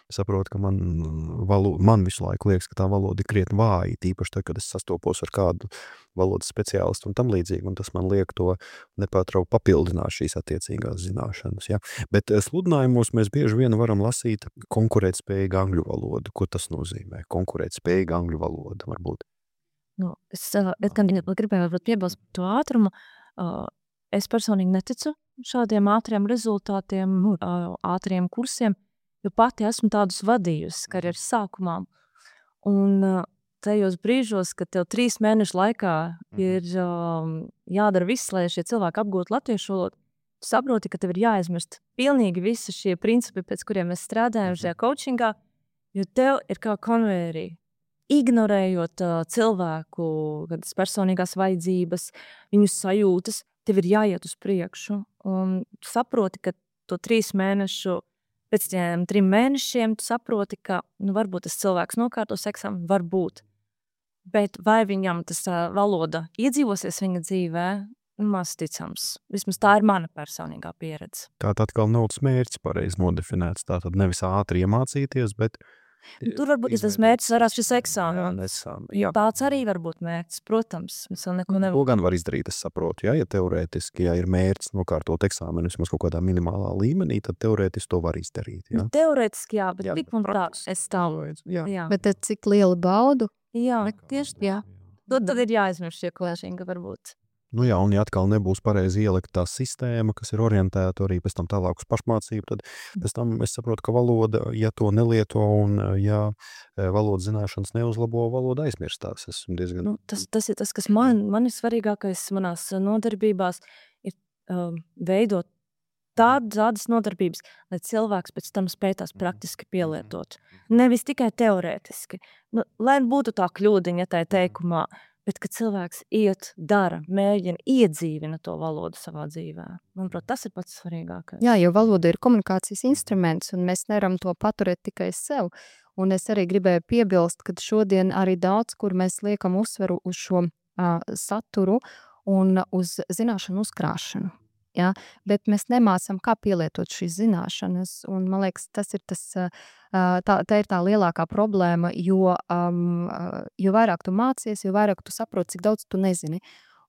saprotu, ka man visu laiku liekas, ka tā valoda ir krietni vāja, tīpaši tad, kad es sastopos ar kādu valodas speciālistu un tam līdzīgi, un tas man liek to nepārtraukti papildināt šīs attiecīgās zināšanas. Ja? Bet sludinājumos mēs bieži vien varam lasīt konkurētspējīgu angļu valodu. Ko tas nozīmē? Konkurētspējīga angļu valoda varbūt. Es gribēju varbūt piebilst par to ātrumu. Es personīgi neticu šādiem ātriem rezultātiem, ātriem kursiem, jo pati esmu tādus vadījusi karjeras sākumā. Un tajos brīžos, kad tev 3 mēnešu laikā ir jādara viss, lai šie cilvēki apgūtu latviešu valodu, tu saproti, ka tev ir jāaizmirst pilnīgi visi šie principi, pēc kuriem mēs strādājam šajā coachingā, jo tev ir kā konvērī. Ignorējot cilvēku personīgās vajadzības, viņu sajūtas, tev ir jāiet uz priekšu. Un tu saproti, ka to 3 mēnešu, pēc tiem 3 mēnešiem, tu saproti, ka varbūt tas cilvēks nokārtos eksāmenu, varbūt. Bet vai viņam tas valoda iedzīvosies viņa dzīvē, maz ticams. Vismaz tā ir mana personīgā pieredze. Tātad atkal nav tas mērķis pareizi nodefinēts. Tātad nevis ātri iemācīties, bet tur varbūt tas mērķis varētu šis eksāmens. Tāds arī var būt mērķis, protams. To gan var izdarīt, es saprotu. Ja teorētiski, ja ir mērķis nokārtot eksāmenu vismaz kaut kādā minimālā līmenī, tad teorētiski to var izdarīt. Ja? Teorētiski jā, bet tik un tā es stāvu. Bet tad cik lielu baudu? Jā, tieši jā. Tad ir jāizmirst šie klēšinga varbūt. Jā, un ja atkal nebūs pareizi ielikt tā sistēma, kas ir orientēta arī pēc tam tālāk uz pašmācību, tad pēc tam es saprotu, ka valoda, ja to nelieto un ja valodas zināšanas neuzlabo, valoda aizmirstās. Esmu diezgan... Tas ir tas, kas man ir svarīgākais manās nodarbībās, ir veidot tādas nodarbības, lai cilvēks pēc tam spēj tās praktiski pielietot. Nevis tikai teorētiski. Lai būtu tā kļūdiņa tajā teikumā, bet, kad cilvēks iet, dara, mēģina, iedzīvina to valodu savā dzīvē. Manuprāt, tas ir pats svarīgākais. Jā, jo valoda ir komunikācijas instruments, un mēs nevaram to paturēt tikai sev. Un es arī gribēju piebilst, ka šodien arī daudz, kur mēs liekam uzsveru uz šo saturu un uz zināšanu uzkrāšanu. Ja? Bet mēs nemācam, kā pielietot šīs zināšanas, un man liekas, tas ir tā ir tā lielākā problēma, jo vairāk tu mācies, jo vairāk tu saproti, cik daudz tu nezini.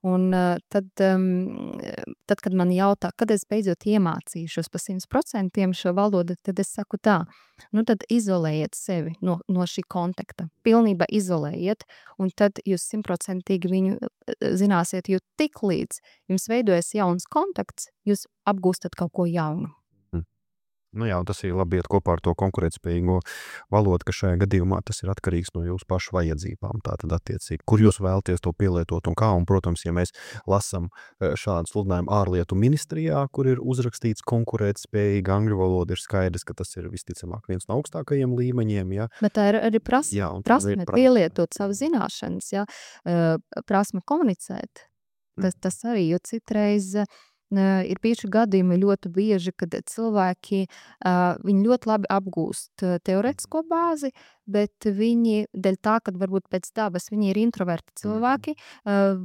Un tad, kad man jautā, kad es beidzot iemācīšos pa 100% šo valodu, tad es saku tā, tad izolējiet sevi no šī kontakta. Pilnībā izolējiet, un tad jūs 100% viņu zināsiet, jo tik līdz jums veidojas jauns kontakts, jūs apgūstat kaut ko jaunu. Jā, un tas ir labi iet kopā ar to konkurētspējīgo valodu, ka šajā gadījumā tas ir atkarīgs no jūsu pašu vajadzībām. Tātad attiecīgi, kur jūs vēlaties to pielietot un kā. Un, protams, ja mēs lasam šādu sludinājumu ārlietu ministrijā, kur ir uzrakstīts konkurētspējīga angļu valoda, ir skaidrs, ka tas ir visticamāk viens no augstākajiem līmeņiem. Ja. Bet tā ir arī prasme pielietot savu zināšanas, ja. Prasme komunicēt. Tas arī, jo citreiz... ir bijuši gadījumi ļoti bieži, kad cilvēki viņi ļoti labi apgūst teorētisko bāzi, bet viņi, dēļ tā, kad varbūt pēc dabas viņi ir introverti cilvēki,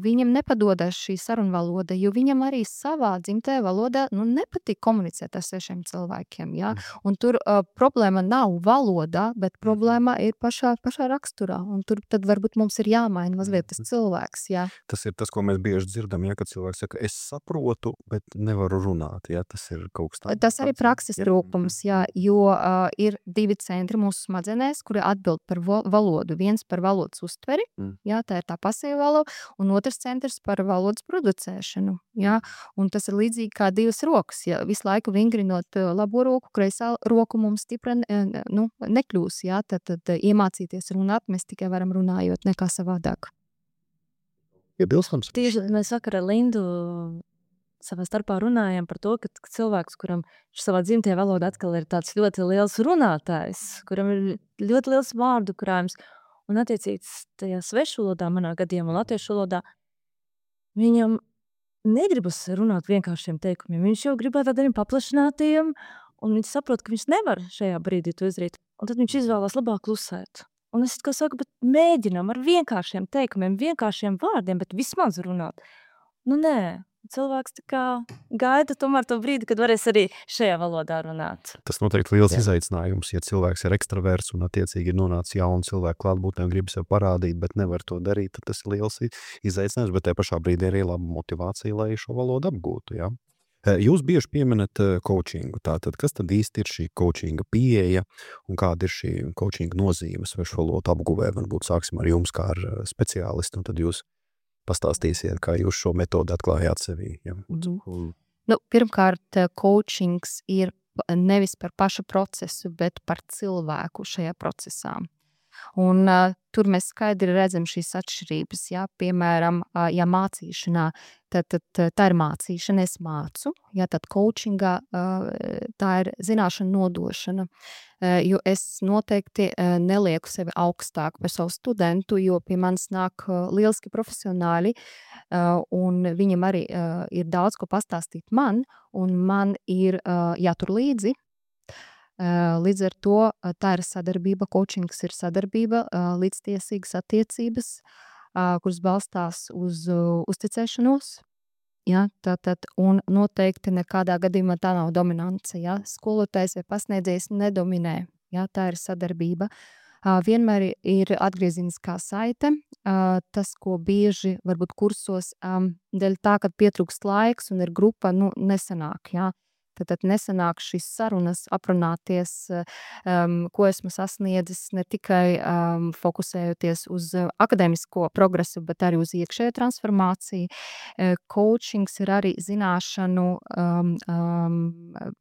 viņam nepadodas šī sarunvaloda, jo viņam arī savā dzimtajā valodā nepatīk komunicēt ar svešiem cilvēkiem. Ja? Un tur problēma nav valodā, bet problēma ir pašā raksturā. Un tur tad varbūt mums ir jāmaina mazliet tas cilvēks. Ja? Tas ir tas, ko mēs bieži dzirdam, ja, kad cilvēks saka, es saprotu, bet nevaru runāt. Ja? Tas ir kaut kas tāds. Tas arī prakses trūkums, ja? Jo ir 2 centri mūsu smadzenēs, kuri atbild par valodu. Viens par valodas uztveri, jā, tā ir tā pasīva valoda, un otrs centrs par valodas producēšanu. Jā? Un tas ir līdzīgi kā 2 rokas. Ja? Visu laiku vingrinot labo roku, kreisā roku mums stipra nekļūs. Jā? Tad iemācīties runāt mēs tikai varam runājot nekā savādāk. Iebilstams. Tieši mēs vakar ar Lindu savā starpā runājām par to, ka cilvēks, kuram savā dzimtajā valodā atkal ir tāds ļoti liels runātājs, kuram ir ļoti liels vārdu krājums, un attiecīgi tajā svešu valodā, manā gadījumā latviešu valodā, viņam negribas runāt vienkāršiem teikumiem. Viņš jau grib ar tādiem paplašinātiem, un viņš saprot, ka viņš nevar šajā brīdī to izdarīt. Un tad viņš izvēlās labāk klusēt. Un es kā saku, bet mēģinām ar vienkāršiem teikumiem, vienkāršiem vārdiem, bet vismaz runāt. Nu nē, cilvēks tā kā gaida tomēr to brīdi, kad varēs arī šajā valodā runāt. Tas noteikti liels izaicinājums, ja cilvēks ir ekstraverts un attiecīgi ir nonācis jaunu cilvēku klātbūtnē un grib sev parādīt, bet nevar to darīt, tad tas ir liels izaicinājums, bet tajā pašā brīdī arī laba motivācija, lai šo valodu apgūtu, jā. Jūs bieži pieminat coachingu. Tātad, kas tad īsti ir šī coachinga pieeja un kāda ir šī coachinga nozīme svešu valodu apguvē? Varbūt sāksim ar jums kā ar speciālistu, un tad jūs pastāstīsiet, kā jūs šo metodu atklājāt sevī. Ja? Nu, pirmkārt, coachings ir nevis par pašu procesu, bet par cilvēku šajā procesā. Un tur mēs skaidri redzam šīs atšķirības. Ja? Piemēram, ja mācīšanā, tad tā ir mācīšana, es mācu. Ja? Tad coachingā tā ir zināšana nodošana. Jo es noteikti nelieku sevi augstāk par savu studentu, jo pie manis nāk lieliski profesionāļi, un viņam arī ir daudz ko pastāstīt man, un man ir jātur līdzi. Līdz ar to tā ir sadarbība, coachings ir sadarbība, līdztiesīgas attiecības, kuras balstās uz uzticēšanos. Ja, tātad, un noteikti nekādā gadījumā tā nav dominance. Ja. Skolotājs vai pasniedzējs nedominē. Ja, tā ir sadarbība. Vienmēr ir atgrieziniskā saite. Tas, ko bieži varbūt kursos, dēļ tā, kad pietrūkst laiks un ir grupa, nesanāk. Ja. Tad nesanāk šīs sarunas, aprunāties, ko esmu sasniedzis, ne tikai fokusējoties uz akadēmisko progresu, bet arī uz iekšējo transformāciju. Coachings ir arī zināšanu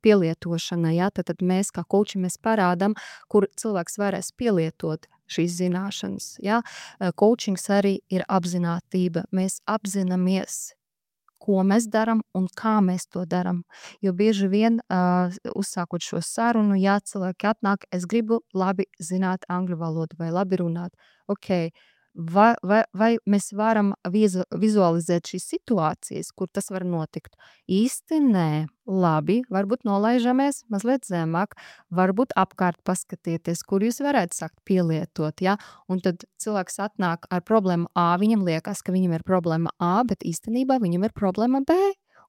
pielietošana. Ja? Tad mēs kā coachi mēs parādam, kur cilvēks varēs pielietot šīs zināšanas. Ja? Coachings arī ir apzinātība. Mēs apzināmies, ko mēs daram un kā mēs to daram. Jo bieži vien, uzsākot šo sarunu, ja cilvēki atnāk, es gribu labi zināt angļu valodu vai labi runāt. Okay. Vai mēs varam vizualizēt šīs situācijas, kur tas var notikt? Īsti nē. Labi, varbūt nolaižamies mazliet zemāk, varbūt apkārt paskatieties, kur jūs varētu sākt pielietot. Ja? Un tad cilvēks atnāk ar problēmu A, viņam liekas, ka viņam ir problēma A, bet īstenībā viņam ir problēma B.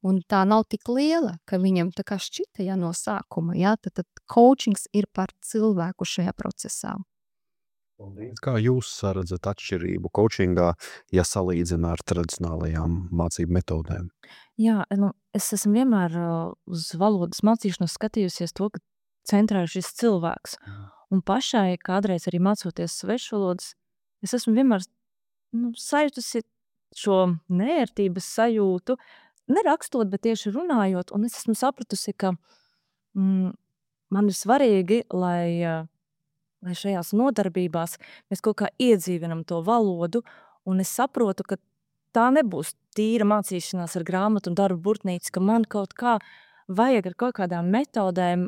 Un tā nav tik liela, ka viņam tā kā šķita no sākuma. Ja? Tad coachings ir par cilvēku šajā procesā. Kā jūs saredzat atšķirību coachingā, ja salīdzina ar tradicionālajām mācību metodēm? Jā, es esmu vienmēr uz valodas mācīšanos skatījusies to, ka centrā ir šis cilvēks. Un pašai kādreiz arī mācoties svešu valodas, es esmu vienmēr sajutusi šo neērtības sajūtu, nerakstot, bet tieši runājot, un es esmu sapratusi, ka man ir svarīgi, lai šajās nodarbībās mēs kaut kā iedzīvinam to valodu, un es saprotu, ka tā nebūs tīra mācīšanās ar grāmatu un darbu burtnīcu, ka man kaut kā vajag ar kaut kādām metodēm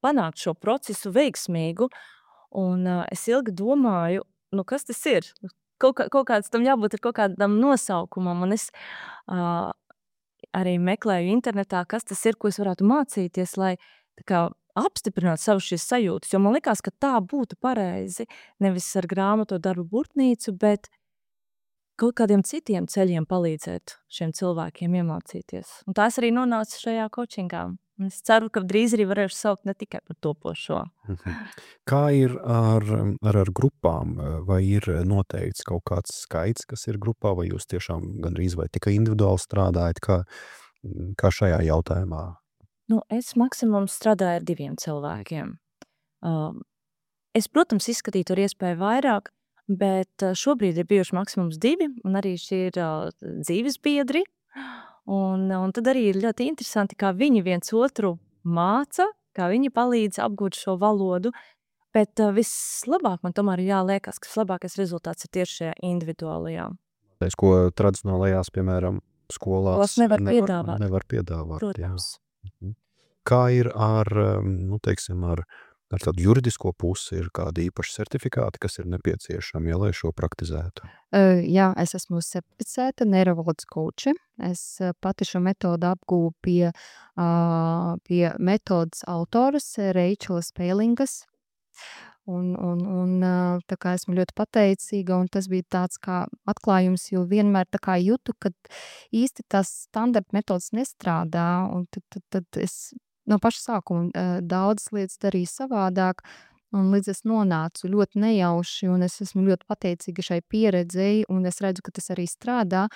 panākt šo procesu veiksmīgu, un es ilgi domāju, kas tas ir? Kaut kāds tam jābūt ar kaut kādam nosaukumam, un es arī meklēju internetā, kas tas ir, ko es varētu mācīties, lai tā kā apstiprināt savu šīs sajūtas, jo man likās, ka tā būtu pareizi, nevis ar grāmatu darbu burtnīcu, bet kaut kādiem citiem ceļiem palīdzēt šiem cilvēkiem iemācīties. Un tās arī nonāca šajā coachingā. Es ceru, ka drīz arī varēšu saukt ne tikai par topošo. Kā ir ar grupām? Vai ir noteikts kaut kāds skaits, kas ir grupā, vai jūs tiešām gandrīz vai tikai individuāli strādājat? Kā šajā jautājumā? Es maksimums strādāju ar 2 cilvēkiem. Es, protams, izskatītu ar iespēju vairāk, bet šobrīd ir bijuši maksimums 2, un arī šī ir dzīves biedri. Un tad arī ir ļoti interesanti, kā viņi viens otru māca, kā viņi palīdz apgūt šo valodu, bet vislabāk man tomēr ir jāliekas, ka vislabākais rezultāts ir tieši šajā individuālajā. Ko tradicionālajās, piemēram, skolās nevar piedāvāt. nevar piedāvāt. Protams. Jā. Kā ir ar, teiksim, ar tādu juridisko pusi, ir kādi īpaši certifikāti, kas ir nepieciešami, lai šo praktizētu? Jā, es esmu certificēta neurovalodas koče. Es pati šo metodu apgūvu pie metodas autoras Reičelas Pēlingas. Un tā kā esmu ļoti pateicīga, un tas bija tāds kā atklājums, jo vienmēr tā kā jūtu, ka īsti tās standarta metodas nestrādā, un tad es no paša sākuma daudzas lietas darīju savādāk, un līdz es nonācu ļoti nejauši, un es esmu ļoti pateicīga šai pieredzei, un es redzu, ka tas arī strādā.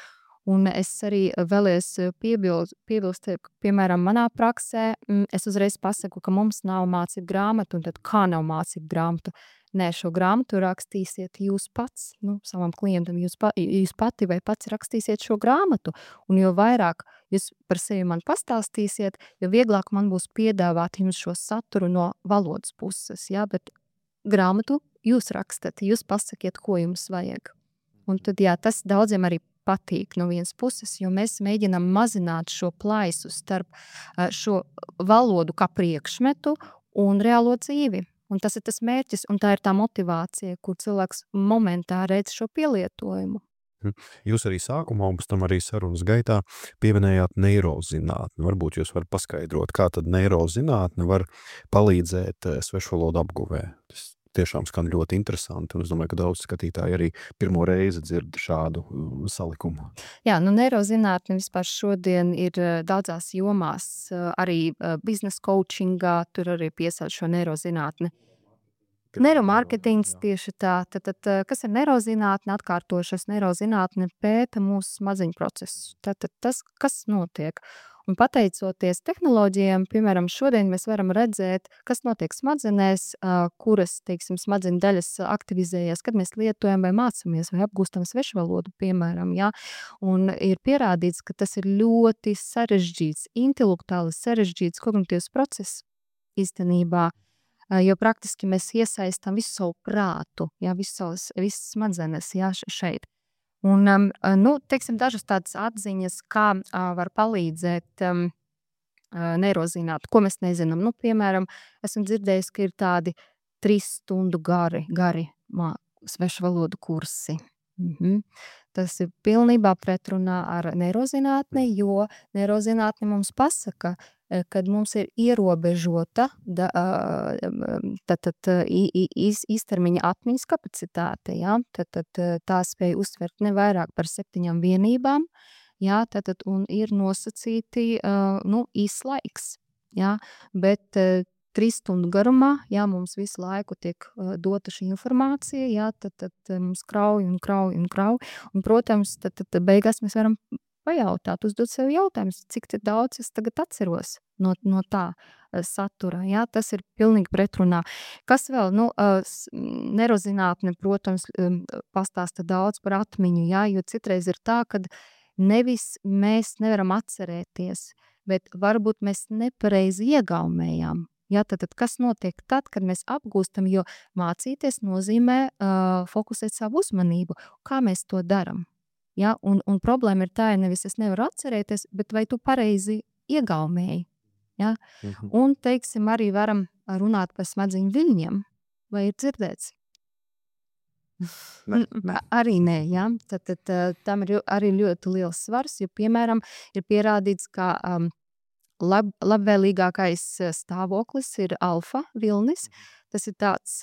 Un es arī vēlies piebilst, piemēram, manā praksē, es uzreiz pasaku, ka mums nav mācību grāmatu, un tad kā nav mācību grāmatu? Nē, šo grāmatu rakstīsiet jūs pats, savam klientam, jūs pati vai pats rakstīsiet šo grāmatu, un jo vairāk jūs par sevi man pastāstīsiet, jo vieglāk man būs piedāvāt jums šo saturu no valodas puses, jā, bet grāmatu jūs rakstat, jūs pasakiet, ko jums vajag. Un tad, jā, tas daudziem arī patīk no vienas puses, jo mēs mēģinām mazināt šo plaisu starp šo valodu kā priekšmetu un reālo dzīvi. Un tas ir tas mērķis, un tā ir tā motivācija, kur cilvēks momentā redz šo pielietojumu. Jūs arī sākumā, un pēc tam arī sarunas gaitā pieminējāt neirozinātni. Varbūt jūs varat paskaidrot, kā tad neirozinātne var palīdzēt svešvalodu apguvē. Tas tiešām skan ļoti interesanti, un es domāju, ka daudz skatītāji arī pirmo reizi dzird šādu salikumu. Jā, neirozinātne vispār šodien ir daudzās jomās, arī biznesa coachingā, tur arī piesauc šo neirozinātni. Neiromārketings tieši tā. Tad, kas ir neirozinātne? Atkārtošas neirozinātne pēta mūsu smadzeņu procesus. Tad tas, kas notiek. Un pateicoties tehnoloģijām, piemēram, šodien mēs varam redzēt, kas notiek smadzenēs, kuras, teiksim, smadzeņu daļas aktivizējas, kad mēs lietojam vai mācāmies vai apgūstam svešvalodu, piemēram, jā. Un ir pierādīts, ka tas ir ļoti sarežģīts, intelektuāli sarežģīts kognitīvs process īstenībā, jo praktiski mēs iesaistam visu savu prātu, jā, visas smadzenes, jā, šeit. Un, teiksim, dažas tādas atziņas, kā var palīdzēt neirozināt, ko mēs nezinām. Piemēram, esmu dzirdējis, ka ir tādi 3 stundu gari svešvalodu kursi. Tas ir pilnībā pretrunā ar neirozinātni, jo neirozinātne mums pasaka, kad mums ir ierobežota īstermiņa atmiņas kapacitāte, jā, tad tā spēja uztvert ne vairāk par 7 vienībām, jā, un ir nosacīti īs laiks, jā, bet 3 stundu garumā, jā, mums visu laiku tiek dota šī informācija, jā, tad mums krauj, un, protams, tad beigās mēs varam pajautāt, uzdot sev jautājumus, cik daudz es tagad atceros no tā satura, jā, tas ir pilnīgi pretrunā. Kas vēl, neirozinātne, protams, pastāsta daudz par atmiņu, jā, jo citreiz ir tā, kad nevis mēs nevaram atcerēties, bet varbūt mēs nepareizi iegaumējām. Jā, tad kas notiek tad, kad mēs apgūstam, jo mācīties nozīmē fokusēt savu uzmanību. Kā mēs to daram? Ja? Un problēma ir tā, nevis es nevaru atcerēties, bet vai tu pareizi iegaumēji? Ja? Un, teiksim, arī varam runāt par smadzeņu viļņiem. Vai ir dzirdēts? Arī nē, ja? Tad tam ir arī ļoti liels svars, jo, piemēram, ir pierādīts, ka labvēlīgākais stāvoklis ir alfa vilnis. Tas ir tāds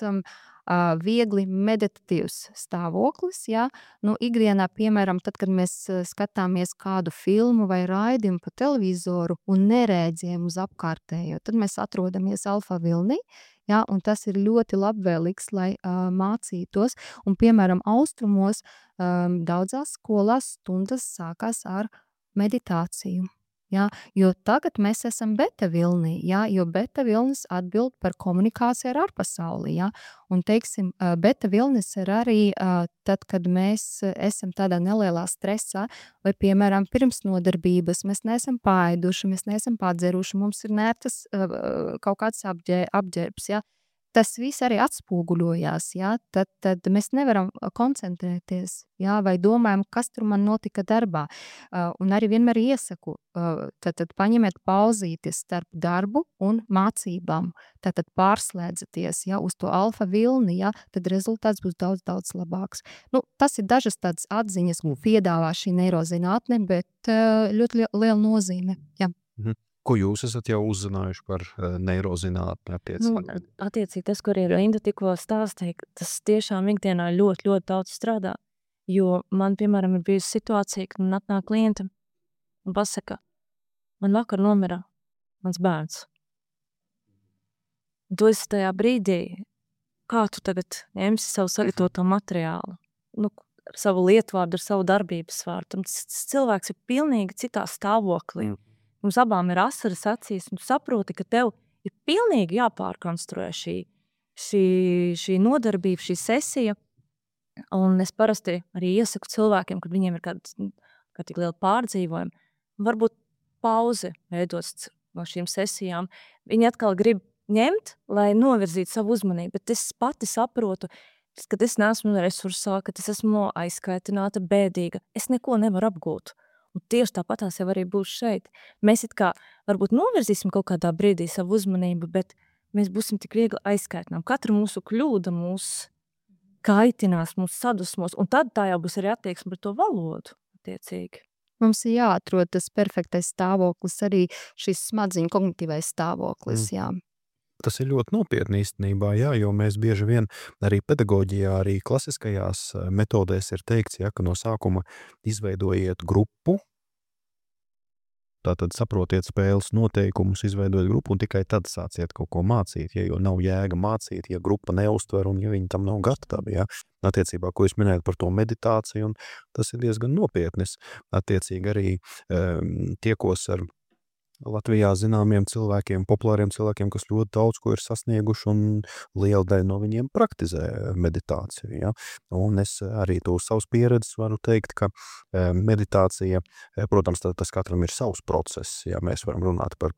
viegli meditatīvs stāvoklis, jā. Ikdienā, piemēram, tad, kad mēs skatāmies kādu filmu vai raidījumu pa televizoru un nerēģējam uz apkārtējo, tad mēs atrodamies alfa vilnī, jā, un tas ir ļoti labvēlīgs, lai mācītos. Un, piemēram, austrumos daudzās skolās stundas sākās ar meditāciju. Ja, jo tagad mēs esam beta vilnī, ja, jo beta vilnis atbild par komunikāciju ar ārpasauli. Ja, un, teiksim, beta vilnis ir arī tad, kad mēs esam tādā nelielā stresā, vai, piemēram, pirms nodarbības mēs neesam paēduši, mēs neesam padzeruši, mums ir nērtas kaut kāds apģērbs. Ja. tas viss arī atspoguļojās, jā, tad mēs nevaram koncentrēties, jā, vai domājam, kas tur man notika darbā. Un arī vienmēr iesaku, tad paņemiet pauzītes starp darbu un mācībām. Tad pārslēdzaties, jā, uz to alfa vilni, jā, tad rezultāts būs daudz, daudz labāks. Nu, tas ir dažas tādas atziņas, ko piedāvā šī neirozinātne, bet ļoti liela nozīme, jā. Ko jūs esat jau uzzinājuši par neirozinātni attiecīgi? Attiecīgi tas, kur ir Inda tikko stāstīja, tas tiešām ikdienā ļoti, ļoti daudz strādā. Jo man, piemēram, ir bijusi situācija, kad man atnāk klienta un pasaka, man vakar nomira mans bērns. Un tu esi tajā brīdī, kā tu tagad ņemsi savu sagatavoto materiālu, ar savu lietvārdu, ar savu darbības vārdu. Cilvēks ir pilnīgi citā stāvoklī. Mums abām ir asaras acīs, un tu saproti, ka tev ir pilnīgi jāpārkonstruē šī nodarbība, šī sesija. Un es parasti arī iesaku cilvēkiem, kad viņiem ir kāda tik liela pārdzīvojuma, varbūt pauzi veidot no šīm sesijām. Viņi atkal grib ņemt, lai novirzītu savu uzmanību, bet es pati saprotu, ka es neesmu resursā, ka es esmu aizskaitināta, bēdīga. Es neko nevaru apgūt. Un tieši tāpatās jau arī būs šeit. Mēs it kā varbūt novirzīsim kaut kādā brīdī savu uzmanību, bet mēs būsim tik viegli aizskaitinām. Katra mūsu kļūda mūs kaitinās, mūs sadusmos, un tad tā jau būs arī attieksme par to valodu attiecīgi. Mums ir jāatrod tas perfektais stāvoklis, arī šis smadziņu kognitīvais stāvoklis, jā. Tas ir ļoti nopietni īstenībā, jā, jo mēs bieži vien arī pedagoģijā, arī klasiskajās metodēs ir teikts, ja, ka no sākuma izveidojiet grupu, tātad saprotiet spēles noteikumus, izveidojot grupu un tikai tad sāciet kaut ko mācīt, ja, jo nav jēga mācīt, ja grupa neuztver un ja viņi tam nav gatavi, ja. Attiecībā, ko jūs minējat par to meditāciju, un tas ir diezgan nopietnis. Attiecīgi arī tiekos ar Latvijā zināmiem cilvēkiem, populāriem cilvēkiem, kas ļoti daudz ko ir sasnieguši, un liela daļa no viņiem praktizē meditāciju. Ja? Un es arī to savas pieredzes varu teikt, ka meditācija, protams, tas katram ir savs process. Ja? Mēs varam runāt par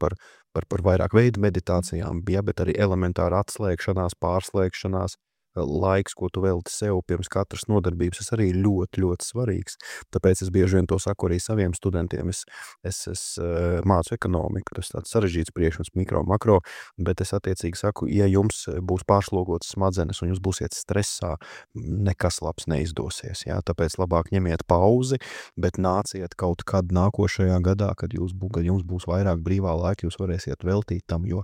vairāk veidu meditācijām, ja? Bet arī elementāra atslēgšanās, pārslēgšanās, laiks, ko tu velti sev pirms katras nodarbības, tas arī ļoti, ļoti svarīgs. Tāpēc es bieži vien to saku arī saviem studentiem. Es mācu ekonomiku, tas tāds sarežģīts priekšmets, mikro, makro, bet es attiecīgi saku, ja jums būs pārslogotas smadzenes un jūs būsiet stresā, nekas labs neizdosies. Ja? Tāpēc labāk ņemiet pauzi, bet nāciet kaut kad nākošajā gadā, kad jums būs vairāk brīvā laika, jūs varēsiet veltīt tam, jo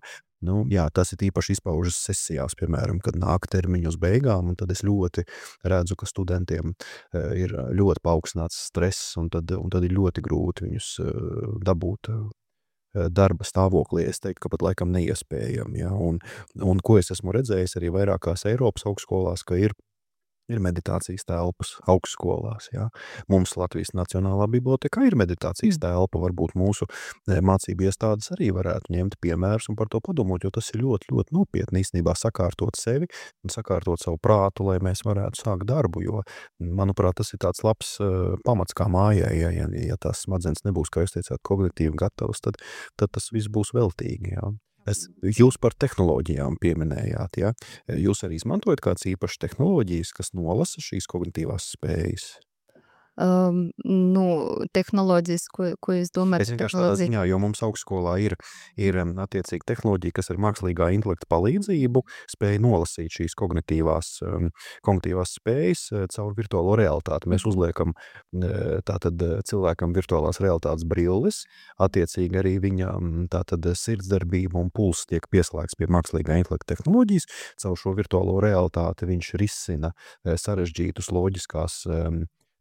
jā, tas ir īpaši izpaužas sesijās, piemēram, kad nāk termiņu uz beigām, un tad es ļoti redzu, ka studentiem ir ļoti paaugstināts stress, un tad ir ļoti grūti viņus dabūt darba stāvoklī. Es teiktu, ka pat laikam neiespējami. Ja? Un ko es esmu redzējis arī vairākās Eiropas augstskolās, ka ir meditācijas telpas augstskolās. Ja? Mums Latvijas Nacionālā biblioteka ir meditācijas telpa, varbūt mūsu mācību iestādes arī varētu ņemt piemērus un par to padomāt, jo tas ir ļoti, ļoti nopietni īstenībā sakārtot sevi un sakārtot savu prātu, lai mēs varētu sākt darbu, jo, manuprāt, tas ir tāds labs pamats kā mājai, ja tās smadzenes nebūs, kā jūs teicāt, kognitīvi gatavas, tad tas viss būs veltīgi, ja. Jūs par tehnoloģijām pieminējāt, ja? Jūs arī izmantojat kāds īpašs tehnoloģijas, kas nolasa šīs kognitīvās spējas? Tehnoloģijas, ko jūs domājat? Es vienkārši tādā ziņā, jo mums augstskolā ir attiecīgi tehnoloģija, kas ar mākslīgā intelekta palīdzību spēja nolasīt šīs kognitīvās spējas caur virtuālo realitāti. Mēs uzliekam tātad cilvēkam virtuālās realitātes brilles, attiecīgi arī viņa tātad sirdsdarbība un pulss tiek pieslēgts pie mākslīgā intelekta tehnoloģijas. Caur šo virtuālo realitāti viņš risina sarežģītus loģiskās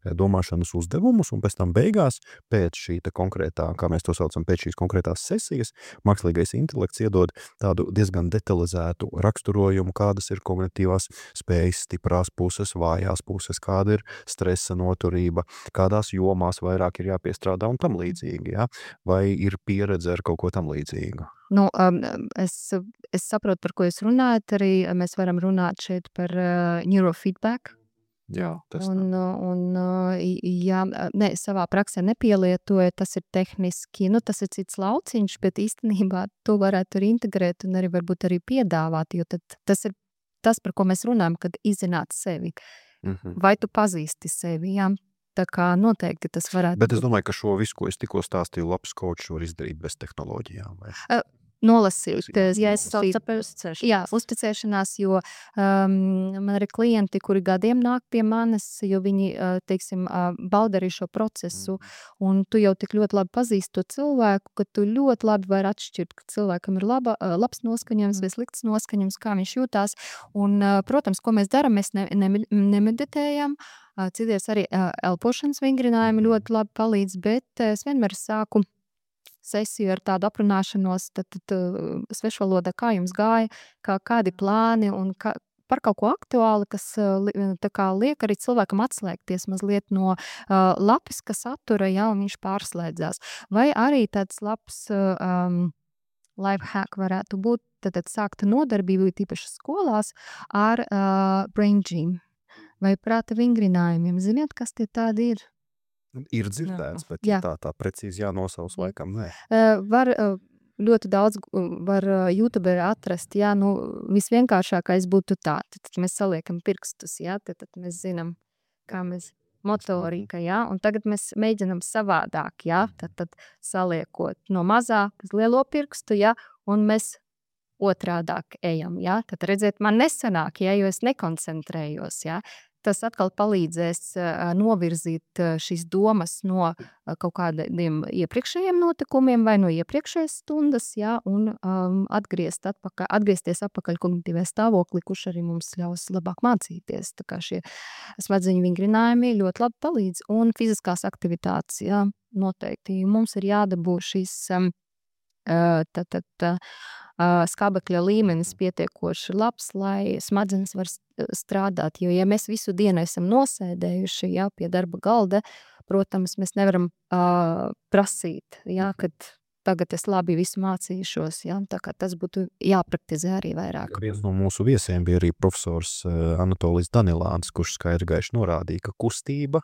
domāšanas uzdevumus, un pēc tam beigās, pēc šī konkrētā, kā mēs to saucam, pēc šīs konkrētās sesijas, mākslīgais intelekts iedod tādu diezgan detalizētu raksturojumu, kādas ir kognitīvās spējas, stiprās puses, vājās puses, kāda ir stresa noturība, kādās jomās vairāk ir jāpiestrādā un tam līdzīgi, ja? Vai ir pieredze ar kaut ko tam līdzīgu? Es saprotu, par ko jūs runājat, arī mēs varam runāt šeit par neurofeedback. Jā, tas Un, ja savā praksē nepielietoja, tas ir tehniski, tas ir cits lauciņš, bet īstenībā to varētu arī integrēt un arī varbūt arī piedāvāt, jo tad tas ir tas, par ko mēs runājam, kad izzināt sevi. Vai tu pazīsti sevi, jā? Tā kā noteikti tas varētu Bet es domāju, ka šo visu, ko es tikko stāstīju, labs kočs var izdarīt bez tehnoloģijām. Vai? Nolasīt, ja es uzticēšanās, jo man ir klienti, kuri gadiem nāk pie manis, jo viņi, teiksim, bauda arī šo procesu, un tu jau tik ļoti labi pazīsti to cilvēku, ka tu ļoti labi vari atšķirt, ka cilvēkam ir labs noskaņojums vai slikts noskaņojums, kā viņš jūtās, un, protams, ko mēs darām, mēs nemeditējam, cities arī elpošanas vingrinājumi ļoti labi palīdz, bet es vienmēr sāku sesiju ar tādu aprunāšanos, tad svešvalodā, kā jums gāja, kādi plāni un par kaut ko aktuāli, kas tā kā liek arī cilvēkam atslēgties mazliet no lapiska satura, ja, un viņš pārslēdzās. Vai arī tāds labs life hack varētu būt, tad sākt nodarbību, tīpaši skolās, ar brain gym vai prāta vingrinājumiem. Ziniet, kas tie tādi ir? Ir dzirdēts, bet Jā. tā precīzi jānosaus laikam, nē. Var ļoti daudz var YouTube atrast, jā, visvienkāršākais būtu tā, tad mēs saliekam pirkstus, jā, tad mēs zinām, kā mēs motorika, jā, un tagad mēs mēģinam savādāk, jā, tad saliekot no mazā uz lielo pirkstu, jā, un mēs otrādāk ejam, jā, tad redziet, man nesanāk, jā, jo es nekoncentrējos, jā. Tas atkal palīdzēs novirzīt šīs domas no kaut kādiem iepriekšējiem notikumiem vai no iepriekšējas stundas, jā, un atgriezties atpakaļ kognitīvajā stāvoklī, kurš arī mums ļaus labāk mācīties. Tā kā šie smadzeņu vingrinājumi ļoti labi palīdz. Un fiziskās aktivitātes, jā, noteikti. Mums ir jādabū šīs skābekļa līmenis pietiekoši labs, lai smadzenes var strādāt, jo ja mēs visu dienu esam nosēdējuši, jā, pie darba galda, protams, mēs nevaram prasīt, jā, kad tagad es labi visu mācīšos, jā, tā kā tas būtu jāpraktizē arī vairāk. Viens no mūsu viesiem bija arī profesors Anatolijs Danilāns, kurš skaidri gaiši norādīja, ka kustība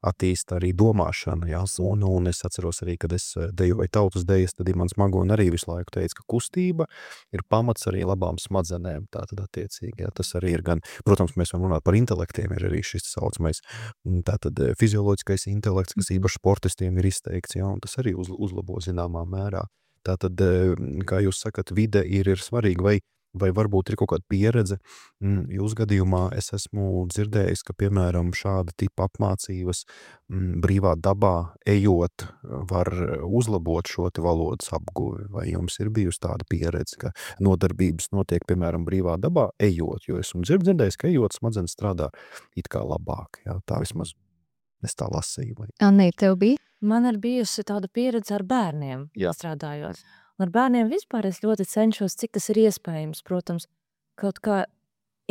attīsta arī domāšana, jā, un es atceros arī, kad es dejoju tautas dejas, tad Imants Magona arī visu laiku teica, ka kustība ir pamats arī labām smadzenēm, tātad attiecīgi, jā, tas arī ir gan, protams, mēs varam runāt par intelektiem, ir arī šis saucamais, tātad fizioloģiskais intelekts, kas īpaši sportistiem ir izteikts, jā, un tas arī uzlabo zināmā mērā. Tātad, kā jūs sakat, vide ir svarīga, vai varbūt ir kaut kāda pieredze. Jūs gadījumā es esmu dzirdējis, ka, piemēram, šāda tipa apmācības brīvā dabā ejot var uzlabot šo te valodas apguvi. Vai jums ir bijusi tāda pieredze, ka nodarbības notiek, piemēram, brīvā dabā ejot? Jo esmu dzirdējis, ka ejot smadzenes strādā it kā labāk. Jā, tā vismaz es tā lasīju. Anī, tev bija? Man ir bijusi tāda pieredze ar bērniem, Jā. strādājot. Un ar bērniem vispār es ļoti cenšos, cik tas ir iespējams, protams, kaut kā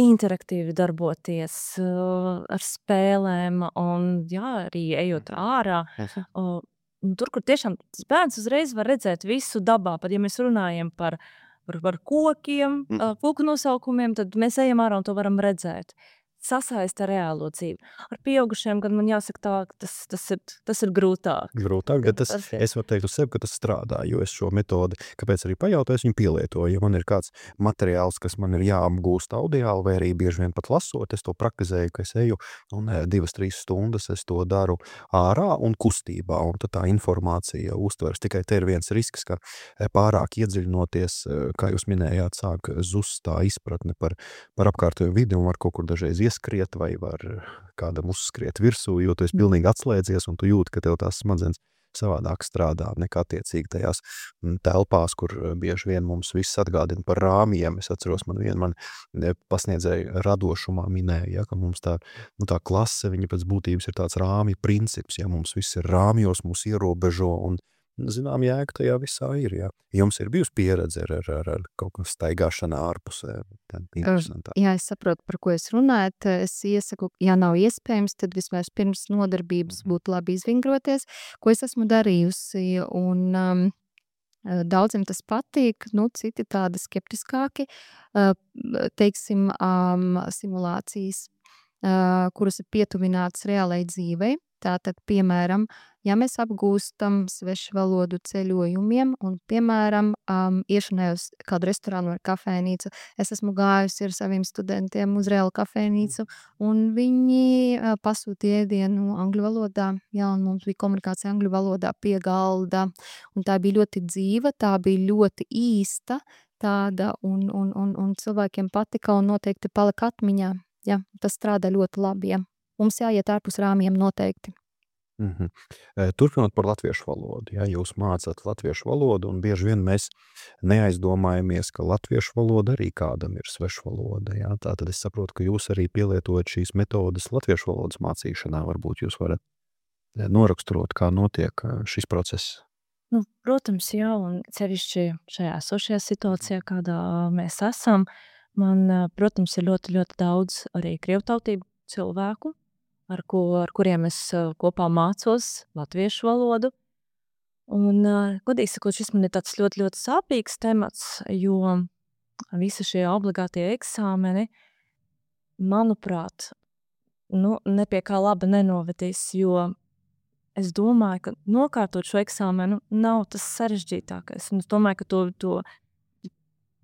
interaktīvi darboties ar spēlēm un, jā, arī ejot ārā. Tur, kur tiešām tas bērns uzreiz var redzēt visu dabā, pat ja mēs runājam par kokiem, koku nosaukumiem, tad mēs ejam ārā un to varam redzēt. Sasaista reālo dzīvi. Ar pieaugušiem, gan man jāsaka tā, tas ir grūtāk. Grūtāk, bet es varu teikt uz sevi, ka tas strādā, jo es šo metodi, kāpēc arī pajautāju, es viņu pielietoju. Ja man ir kāds materiāls, kas man ir jāapgūst audiāli, vai arī bieži vien pat lasot, es to praktizēju, ka es eju un 2-3 stundas es to daru ārā un kustībā, un tad tā informācija uztveras. Tikai te ir viens risks, ka pārāk iedziļinoties, kā jūs minējāt, sāk zust tā izpratne par apkārtējo vidi un var kaut kur dažreiz ieskriet vai var kādam uzskriet virsū, jo tu esi pilnīgi atslēdzies un tu jūti, ka tev tās smadzenes savādāk strādā nekā attiecīgi tajās telpās, kur bieži vien mums viss atgādina par rāmjiem. Es atceros, man pasniedzēja radošumā minēja, ja, ka mums tā klase, viņa pēc būtības ir tāds rāmju princips, ja mums viss ir rāmjos, mūs ierobežo un zinām, jēga tajā visā ir, jā. Jums ir bijusi pieredze ar kaut kā staigāšana ārpusē? Jā, es saprotu, par ko es runājat. Es iesaku, ja nav iespējams, tad vismaz pirms nodarbības būtu labi izvingroties, ko es esmu darījusi, un daudziem tas patīk, citi tādi skeptiskāki, teiksim, simulācijas. kuras ir pietuvinātas reālai dzīvei. Tātad, piemēram, ja mēs apgūstam svešvalodu ceļojumiem un, piemēram, iešanai uz kādu restorānu vai kafejnīcu, es esmu gājusi ar saviem studentiem uz reālu kafejnīcu, un viņi pasūtīja ēdienu angļu valodā, jā, un mums bija komunikācija angļu valodā pie galda, un tā bija ļoti dzīva, tā bija ļoti īsta tāda, un cilvēkiem patika un noteikti palika atmiņā. Jā, tas strādā ļoti labi, jā. Mums jāiet ārpus rāmjiem noteikti. Turpinot par latviešu valodu. Ja, jūs mācāt latviešu valodu, un bieži vien mēs neaizdomājamies, ka latviešu valoda arī kādam ir svešvaloda. Ja. Tātad es saprotu, ka jūs arī pielietojat šīs metodes latviešu valodas mācīšanā. Varbūt jūs varat noraksturot, kā notiek šis process. Nu, protams, jā, un sevišķi šajā esošajā situācijā, kādā mēs esam, man, protams, ir ļoti, ļoti daudz arī krievtautību cilvēku, ar kuriem es kopā mācos latviešu valodu. Un, godīgi sakot, šis man ir tāds ļoti, ļoti sāpīgs temats, jo visi šie obligātie eksāmeni, manuprāt, ne pie kā laba nenovedīs, jo es domāju, ka nokārtot šo eksāmenu nav tas sarežģītākais. Un es domāju, ka to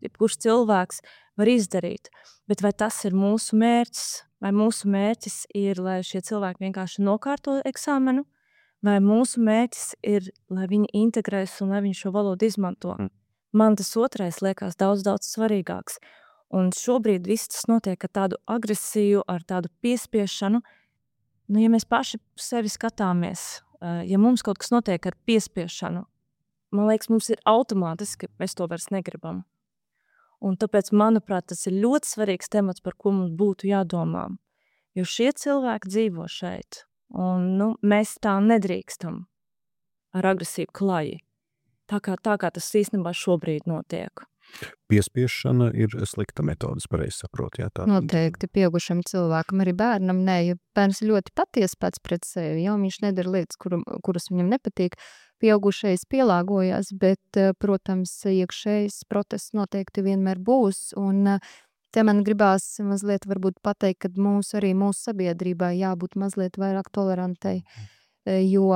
jebkurš cilvēks var izdarīt. Bet vai tas ir mūsu mērķis? Vai mūsu mērķis ir, lai šie cilvēki vienkārši nokārto eksāmenu? Vai mūsu mērķis ir, lai viņi integrēs un lai viņi šo valodu izmanto? Man tas otrais liekas daudz, daudz svarīgāks. Un šobrīd viss tas notiek ar tādu agresiju, ar tādu piespiešanu. Ja mēs paši sevi skatāmies, ja mums kaut kas notiek ar piespiešanu, man liekas, mums ir automātiski, mēs to vairs negribam. Un tāpēc, manuprāt, tas ir ļoti svarīgs temats, par ko mums būtu jādomā. Jo šie cilvēki dzīvo šeit, un mēs tā nedrīkstam ar agresīvu klaji. Tā kā tas īstenībā šobrīd notiek. Piespiešana ir slikta metodes, pareizi saprot. Jā, tā. Noteikti pieaugušam cilvēkam, arī bērnam, ja bērns ļoti patiesi pats pret sevi, ja viņš nedara lietas, kuras viņam nepatīk, pieaugušais pielāgojās, bet, protams, iekšējs protests noteikti vienmēr būs, un te man gribās mazliet varbūt pateikt, ka mūsu sabiedrībā jābūt mazliet vairāk tolerantai, jo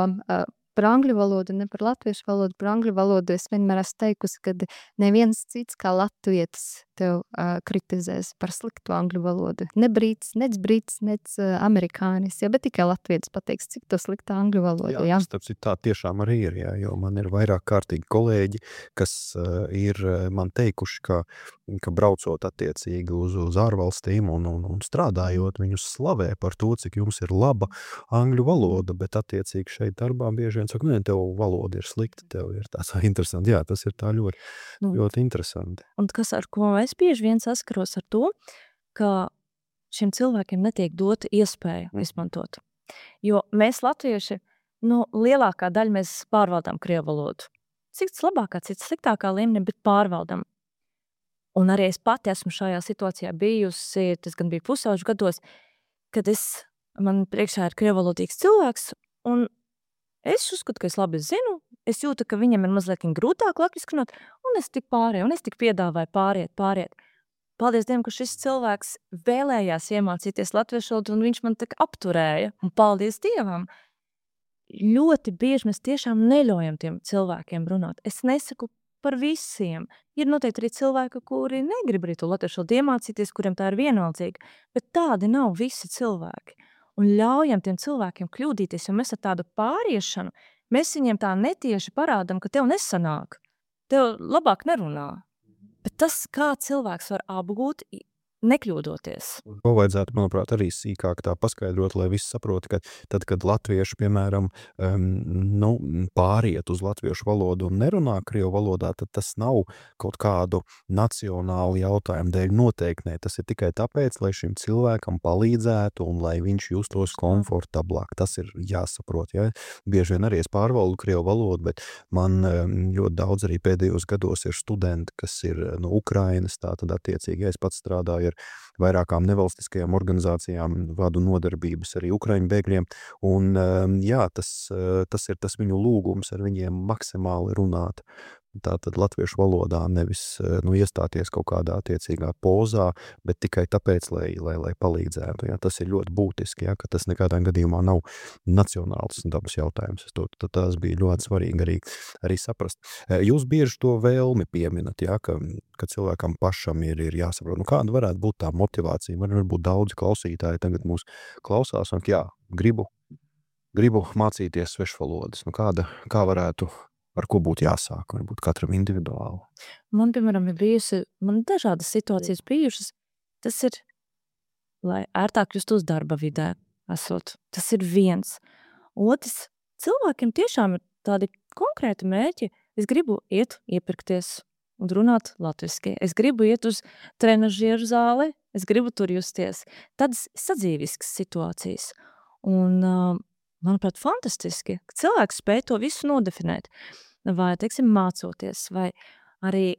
par angļu valodu, ne par latviešu valodu, par angļu valodu es vienmēr esmu teikusi, ka neviens cits kā latvietis tev kritizēs par sliktu angļu valodu. Ne brīts, nec amerikānis, bet tikai latvietis pateiks, cik to slikta angļu valoda. Jā, tas tā tiešām arī ir, jā, jo man ir vairāk kārtīgi kolēģi, kas ir man teikuši, ka braucot attiecīgi uz ārvalstīm un strādājot, viņus slavē par to, cik jums ir laba angļu valoda, bet attiecīgi šeit darbā bieži vien saka, tev valoda ir slikta, tev ir tāds interesanti. Jā, tas ir tā ļoti, ļoti interesanti. Un kas ar ko es bieži vien saskaros ar to, ka šiem cilvēkiem netiek dota iespēja izmantot. Jo mēs latvieši, lielākā daļa mēs pārvaldām krievu valodu. Cits labākā, cits sliktākā līmenī, bet pārvaldam. Un arī es pati esmu šajā situācijā bijusi, tas gan bija pusauģu gados, kad man priekšā ir krievu valodīgs cilvēks, un es uzskatu, ka es labi zinu, es jūtu, ka viņam ir mazliet grūtāk latviski runāt, un es tik pārēju, un es tik piedāvāju pāriet. Paldies Dievam, ka šis cilvēks vēlējās iemācīties latviešu valodu, un viņš man tak apturēja, un paldies Dievam. Ļoti bieži mēs tiešām neļaujam tiem cilvēkiem runāt. Es nesaku par visiem. Ir noteikti arī cilvēki, kuri negrib arī to latviešu valodu iemācīties, kuriem tā ir vienaldzīga, bet tādi nav visi cilvēki. Un ļaujam tiem cilvēkiem kļūdīties, jo mēs ar tādu pāriešanu, mēs viņiem tā netieši parādam, ka tev nesanāk, tev labāk nerunā. Bet tas, kā cilvēks var apgūt, nekļūdoties. To vajadzētu, manuprāt, arī sīkāk tā paskaidrot, lai visi saprot, ka tad, kad latvieši, piemēram, pāriet uz latviešu valodu un nerunā krievu valodā, tad tas nav kaut kādu nacionālu jautājumu dēļ noteikti. Tas ir tikai tāpēc, lai šim cilvēkam palīdzētu un lai viņš justos komfortablāk. Tas ir jāsaprot. Ja? Bieži vien arī es pārvaldu krievu valodu, bet man ļoti daudz arī pēdējos gados ir studenti, kas ir no Ukrainas, tā tad attiecīgi, ja es pats strādāju ar vairākām nevalstiskajām organizācijām, vadu nodarbības arī Ukraiņu bēgļiem, un jā, tas ir tas viņu lūgums ar viņiem maksimāli runāt tātad latviešu valodā, nevis iestāties kaut kādā attiecīgā pozā, bet tikai tāpēc, lai palīdzētu. Ja? Tas ir ļoti būtiski, ja? Ka tas nekādā gadījumā nav nacionāls dabas jautājums. Tas bija ļoti svarīgi arī saprast. Jūs bieži to vēlmi pieminat, ja? Ka cilvēkam pašam ir jāsaprot, kāda varētu būt tā motivācija. Varbūt daudzi klausītāji tagad mūs klausās un gribu mācīties svešvalodas. Kā varētu, ar ko būtu jāsāk, varbūt katram individuāli? Man, piemēram, man dažādas situācijas bijušas. Tas ir, lai ērtāk justos darba vidē esot. Tas ir viens. Otrs, cilvēkiem tiešām ir tādi konkrēti mērķi. Es gribu iet iepirkties un runāt latviski. Es gribu iet uz trenažieru zāli. Es gribu tur justies. Tādas sadzīviskas situācijas. Un, manuprāt, fantastiski, ka cilvēks spēj to visu nodefinēt. Vai, teiksim, mācoties, vai arī,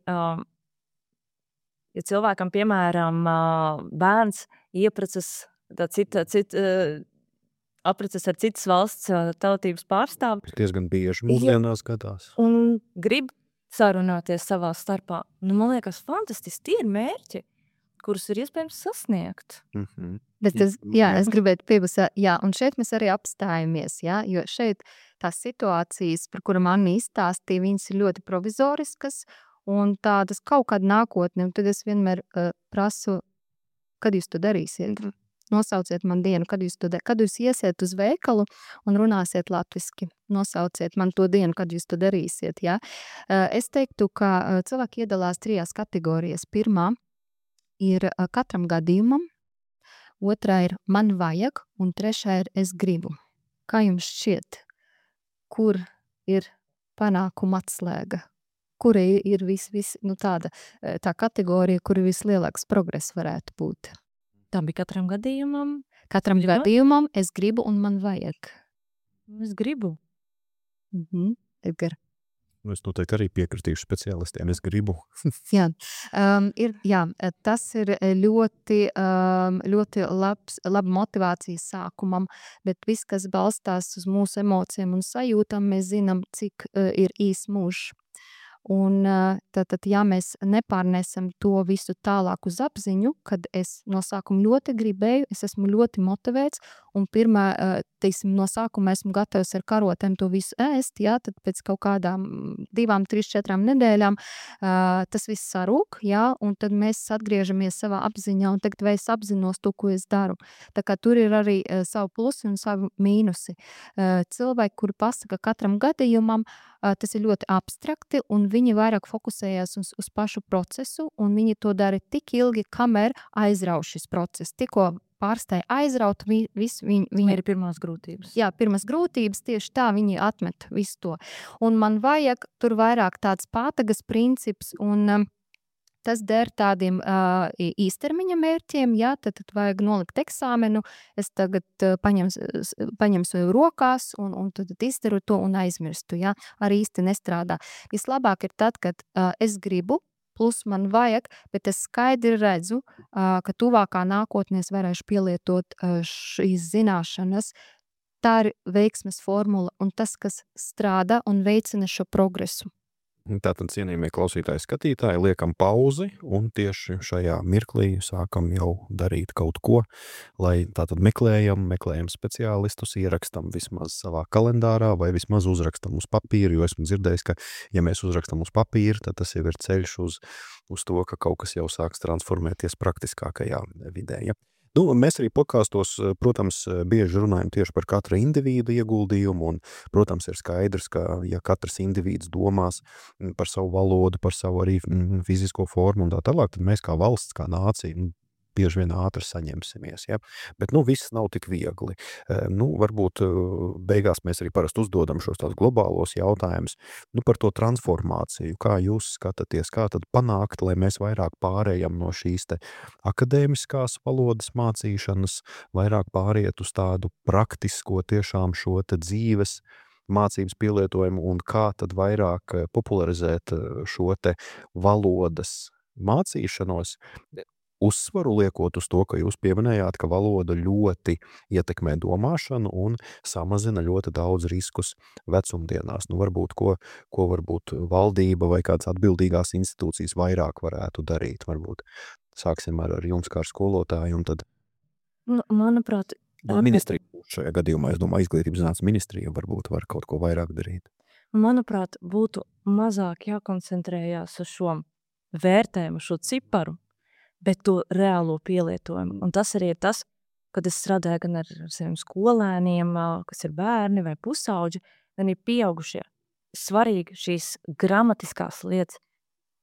ja cilvēkam, piemēram, bērns ieprecas apreces ar citas valsts tautības pārstāvi. Diezgan bieži mūsdienās gadās. Un grib sarunāties savā starpā. Man liekas, fantastiski, tie ir mērķi, kurus ir iespējams sasniegt. Bet es gribētu piebilst, un šeit mēs arī apstājamies, jo šeit tās situācijas, par kurām Anna izstāstīja, viņas ir ļoti provizoriskas un tādas kaut kāda nākotne, un tad es vienmēr prasu, kad jūs to darīsiet? Nosauciet man dienu, kad jūs iesiet uz veikalu un runāsiet latviski. Nosauciet man to dienu, kad jūs to darīsiet, Es teiktu, ka cilvēki iedalās 3 kategorijās. Pirmā ir katram gadījumam, otrā ir man vajag, un trešā ir es gribu. Kā jums šķiet, kur ir panākuma atslēga? Kura ir tā kategorija, kur vislielāks progress varētu būt? Tā bija katram gadījumam. Katram gadījumam es gribu un man vajag. Es gribu. Edgar. Es noteikti arī piekritīšu speciālistiem, es gribu. Tas ir ļoti laba motivācija sākumam, bet viss, kas balstās uz mūsu emocijām un sajūtām, mēs zinām, cik ir īs mūžs. Un tad, ja mēs nepārnesam to visu tālāk uz apziņu, kad es no sākuma ļoti gribēju, es esmu ļoti motivēts, un pirmā, no sākuma esmu gatavs ar karotēm to visu ēst, tad pēc kaut kādām 2, 3, 4 nedēļām tas viss sarūk, un tad mēs atgriežamies savā apziņā, un tagad vai es apzinos to, ko es daru. Tā kā tur ir arī savu plusi un savu mīnusi. Cilvēki, kuri pasaka katram gadījumam, tas ir ļoti abstrakti, un viņi vairāk fokusējās uz pašu procesu, un viņi to dara tik ilgi, kamēr aizrauj šis process. Tikko pārstāja aizraut, viņi ir pirmās grūtības. Pirmās grūtības, tieši tā viņi atmet visu to. Un man vajag tur vairāk tāds pātagas princips, un tas der tādiem īstermiņa mērķiem, tad vajag nolikt eksāmenu, es tagad paņemsu rokās un tad izdaru to un aizmirstu, arī īsti nestrādā. Vislabāk ir tad, kad es gribu, plus man vajag, bet es skaidri redzu, ka tuvākā nākotnē es varēšu pielietot šīs zināšanas. Tā ir veiksmes formula un tas, kas strādā un veicina šo progresu. Tātad, cienījamie klausītāji, skatītāji, liekam pauzi un tieši šajā mirklī sākam jau darīt kaut ko, lai tātad meklējam speciālistus, ierakstam vismaz savā kalendārā vai vismaz uzrakstam uz papīra, jo esmu dzirdējis, ka ja mēs uzrakstam uz papīra, tad tas jau ir ceļš uz to, ka kaut kas jau sāks transformēties praktiskākajā vidē. Mēs arī podkāstos, protams, bieži runājam tieši par katra individu ieguldījumu, un, protams, ir skaidrs, ka, ja katrs individs domās par savu valodu, par savu arī fizisko formu un tā tālāk, tad mēs kā valsts, kā nācija, bieži vien ātri saņemsimies. Bet viss nav tik viegli. Varbūt beigās mēs arī parasti uzdodam šos tādus globālos jautājumus par to transformāciju. Kā jūs skatāties, kā tad panākt, lai mēs vairāk pārējam no šīs te akadēmiskās valodas mācīšanas, vairāk pāriet uz tādu praktisko tiešām šo te dzīves mācības pielietojumu un kā tad vairāk popularizēt šo te valodas mācīšanos, uzsvaru liekot uz to, ka jūs pieminējāt, ka valoda ļoti ietekmē domāšanu un samazina ļoti daudz riskus vecumdienās. Nu, varbūt, ko varbūt valdība vai kāds atbildīgās institūcijas vairāk varētu darīt. Varbūt sāksim ar jums kā ar skolotāju un tad Manuprāt, ministrija šajā gadījumā, es domāju, izglītības zinātnes ministrija varbūt var kaut ko vairāk darīt. būtu mazāk jākoncentrējās uz šo vērtējumu, šo ciparu, bet to reālo pielietojumu. Un tas arī ir tas, kad es strādāju gan ar saviem skolēniem, kas ir bērni vai pusauģi, gan ir pieaugušie. Svarīgi šīs gramatiskās lietas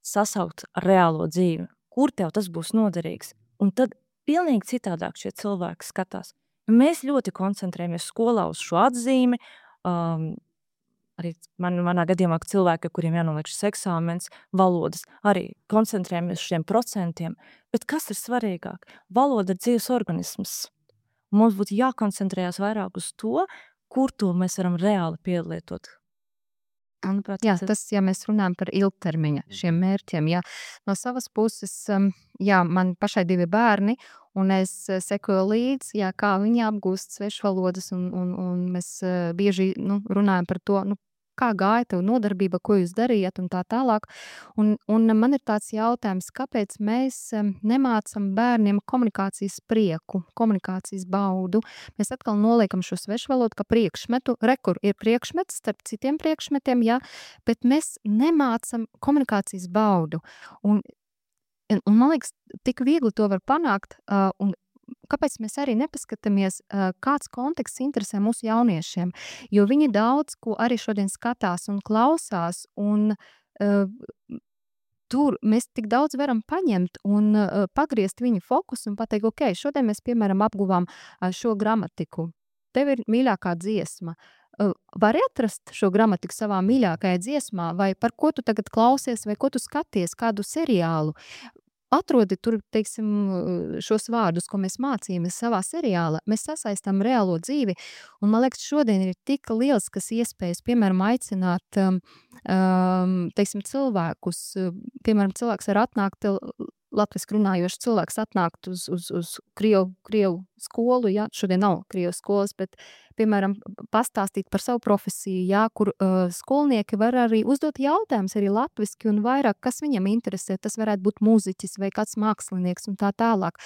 sasaukt ar reālo dzīvi. Kur tev tas būs noderīgs? Un tad pilnīgi citādāk šie cilvēki skatās. Mēs ļoti koncentrējamies skolā uz šo atzīmi, arī manā gadījumā, ka cilvēki, kuriem jānoliek šis eksāmens, valodas, arī koncentrējamies uz šiem procentiem. Bet kas ir svarīgāk? Valoda ir dzīves organisms. Mums būtu jākoncentrējās vairāk uz to, kur to mēs varam reāli pielietot. Manuprāt, Jā, tas, ja mēs runājam par ilgtermiņa šiem mērķiem, jā. No savas puses, jā, man pašai 2 bērni, un es sekoju līdzi, jā, kā viņi apgūst svešvalodas, un mēs bieži runājam par to, kā gāja tev nodarbība, ko jūs darījat un tā tālāk. Un man ir tāds jautājums, kāpēc mēs nemācam bērniem komunikācijas prieku, komunikācijas baudu. Mēs atkal noliekam šo svešvalodu kā priekšmetu. Rekur ir priekšmets starp citiem priekšmetiem, jā, bet mēs nemācam komunikācijas baudu. Un man liekas, tik viegli to var panākt, un kāpēc mēs arī nepaskatāmies, kāds konteksts interesē mūsu jauniešiem, jo viņi daudz ko arī šodien skatās un klausās, un tur mēs tik daudz varam paņemt un pagriezt viņu fokusu un pateikt, ok, šodien mēs, piemēram, apguvām šo gramatiku. Tev ir mīļākā dziesma. Vari atrast šo gramatiku savā mīļākajā dziesmā, vai par ko tu tagad klausies, vai ko tu skaties, kādu seriālu. Atrodi tur, teiksim, šos vārdus, ko mēs mācījāmies savā seriālā, mēs sasaistām reālo dzīvi, un man liekas, šodien ir tik lieliskas iespējas, piemēram, aicināt, teiksim, cilvēkus, piemēram, cilvēks var atnākt, latviski runājošs cilvēks atnākt uz Krievu skolu, jā, šodien nav Krievu skolas, bet, piemēram, pastāstīt par savu profesiju, jā, kur skolnieki var arī uzdot jautājumus arī latviski un vairāk, kas viņam interesē, tas varētu būt mūziķis vai kāds mākslinieks un tā tālāk.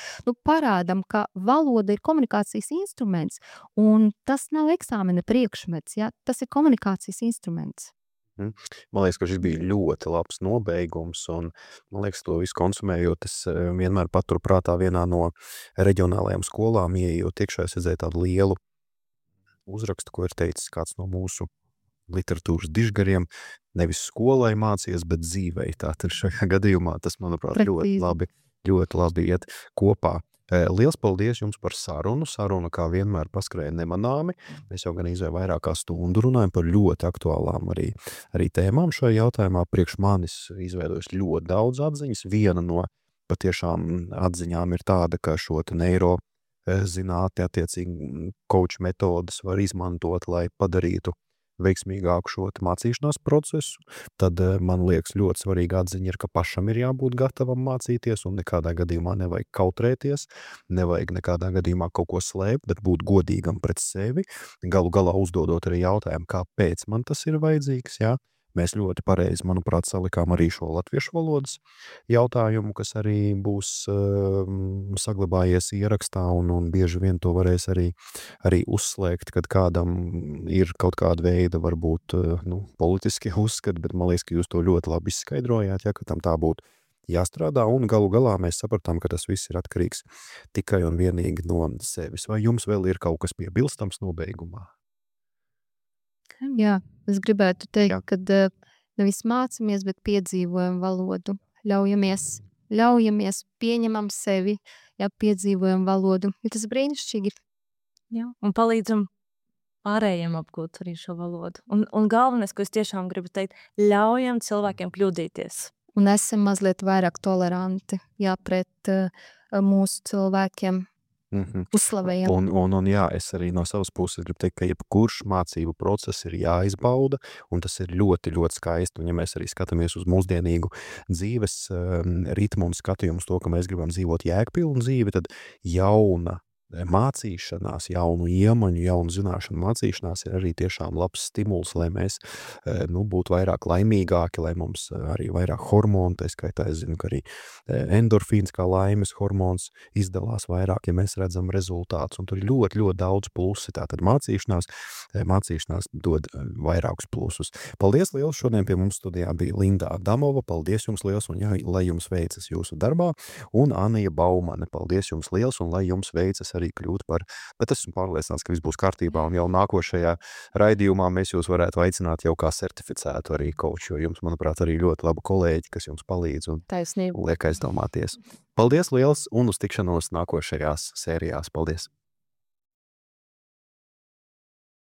Parādam, ka valoda ir komunikācijas instruments, un tas nav eksāmena priekšmets, jā, tas ir komunikācijas instruments. Man liekas, ka šis bija ļoti labs nobeigums, un man liekas, to visu konsumējot, es vienmēr paturu prātā vienā no reģionālajām skolām, ieejot iekšā, es redzēju tādu lielu uzrakstu, ko ir teicis kāds no mūsu literatūras dižgariem, nevis skolai mācies, bet dzīvei. Tātad šajā gadījumā tas, manuprāt, ļoti labi iet kopā. Liels paldies jums par sarunu. Saruna, kā vienmēr, paskrēja nemanāmi. Mēs jau gan vairāk kā stundu runājam par ļoti aktuālām arī tēmām šajā jautājumā. Priekš manis izveidojas ļoti daudz atziņas. Viena no patiešām atziņām ir tāda, ka šo neiro zinātni, attiecīgi coach metodas var izmantot, lai padarītu veiksmīgāku šo mācīšanās procesu, tad man liekas ļoti svarīga atziņa ir, ka pašam ir jābūt gatavam mācīties un nekādā gadījumā nevajag kautrēties, nevajag nekādā gadījumā kaut ko slēpt, bet būt godīgam pret sevi, galu galā uzdodot arī jautājumu, kāpēc man tas ir vajadzīgs, jā. Mēs ļoti pareizi, manuprāt, salikām arī šo latviešu valodas jautājumu, kas arī būs saglabājies ierakstā un bieži vien to varēs arī uzslēgt, kad kādam ir kaut kāda veida varbūt politiski uzskati, bet man liekas, ka jūs to ļoti labi izskaidrojāt, ja, ka tam tā būtu jāstrādā, un galu galā mēs sapratām, ka tas viss ir atkarīgs tikai un vienīgi no sevis. Vai jums vēl ir kaut kas piebilstams nobeigumā? Jā, es gribētu teikt, ka nevis mācamies, bet piedzīvojam valodu. Ļaujamies, pieņemam sevi, jā, piedzīvojam valodu. Ir tas brīnišķīgi. Jā, un palīdzam pārējiem apgūt arī šo valodu. Un galvenais, ko es tiešām gribu teikt, ļaujam cilvēkiem kļūdīties. Un esam mazliet vairāk toleranti, jā, pret mūsu cilvēkiem. Uzslavējam. Un jā, es arī no savas puses gribu teikt, ka jebkurš mācību process ir jāizbauda, un tas ir ļoti, ļoti skaisti. Un ja mēs arī skatāmies uz mūsdienīgu dzīves ritmu un skatījumu uz to, ka mēs gribam dzīvot jēgpilnu dzīvi, tad jauna mācīšanās, jaunu iemaņu, jaunu zināšanu mācīšanās ir arī tiešām labs stimuls, lai mēs būtu vairāk laimīgāki, lai mums arī vairāk hormonu, tā skaitā es zinu, ka arī endorfīns kā laimes hormons izdalās vairāk, ja mēs redzam rezultātus, un tur ir ļoti, ļoti daudz plusi. Tātad mācīšanās dod vairākus plusus. Paldies liels, šodien pie mums studijā bija Linda Adamova, paldies jums liels, un lai jums veicas jūsu darbā, un Anija Baumane, paldies jums liels, un lai jums veicas arī kļūt par, bet esmu pārliecināts, ka viss būs kārtībā, un jau nākošajā raidījumā mēs jūs varētu aicināt jau kā certificētu arī coach, jo jums, manuprāt, arī ļoti labi kolēģi, kas jums palīdz un Taisnība. liek aizdomāties. Paldies liels, un uz tikšanos nākošajās sērijās. Paldies!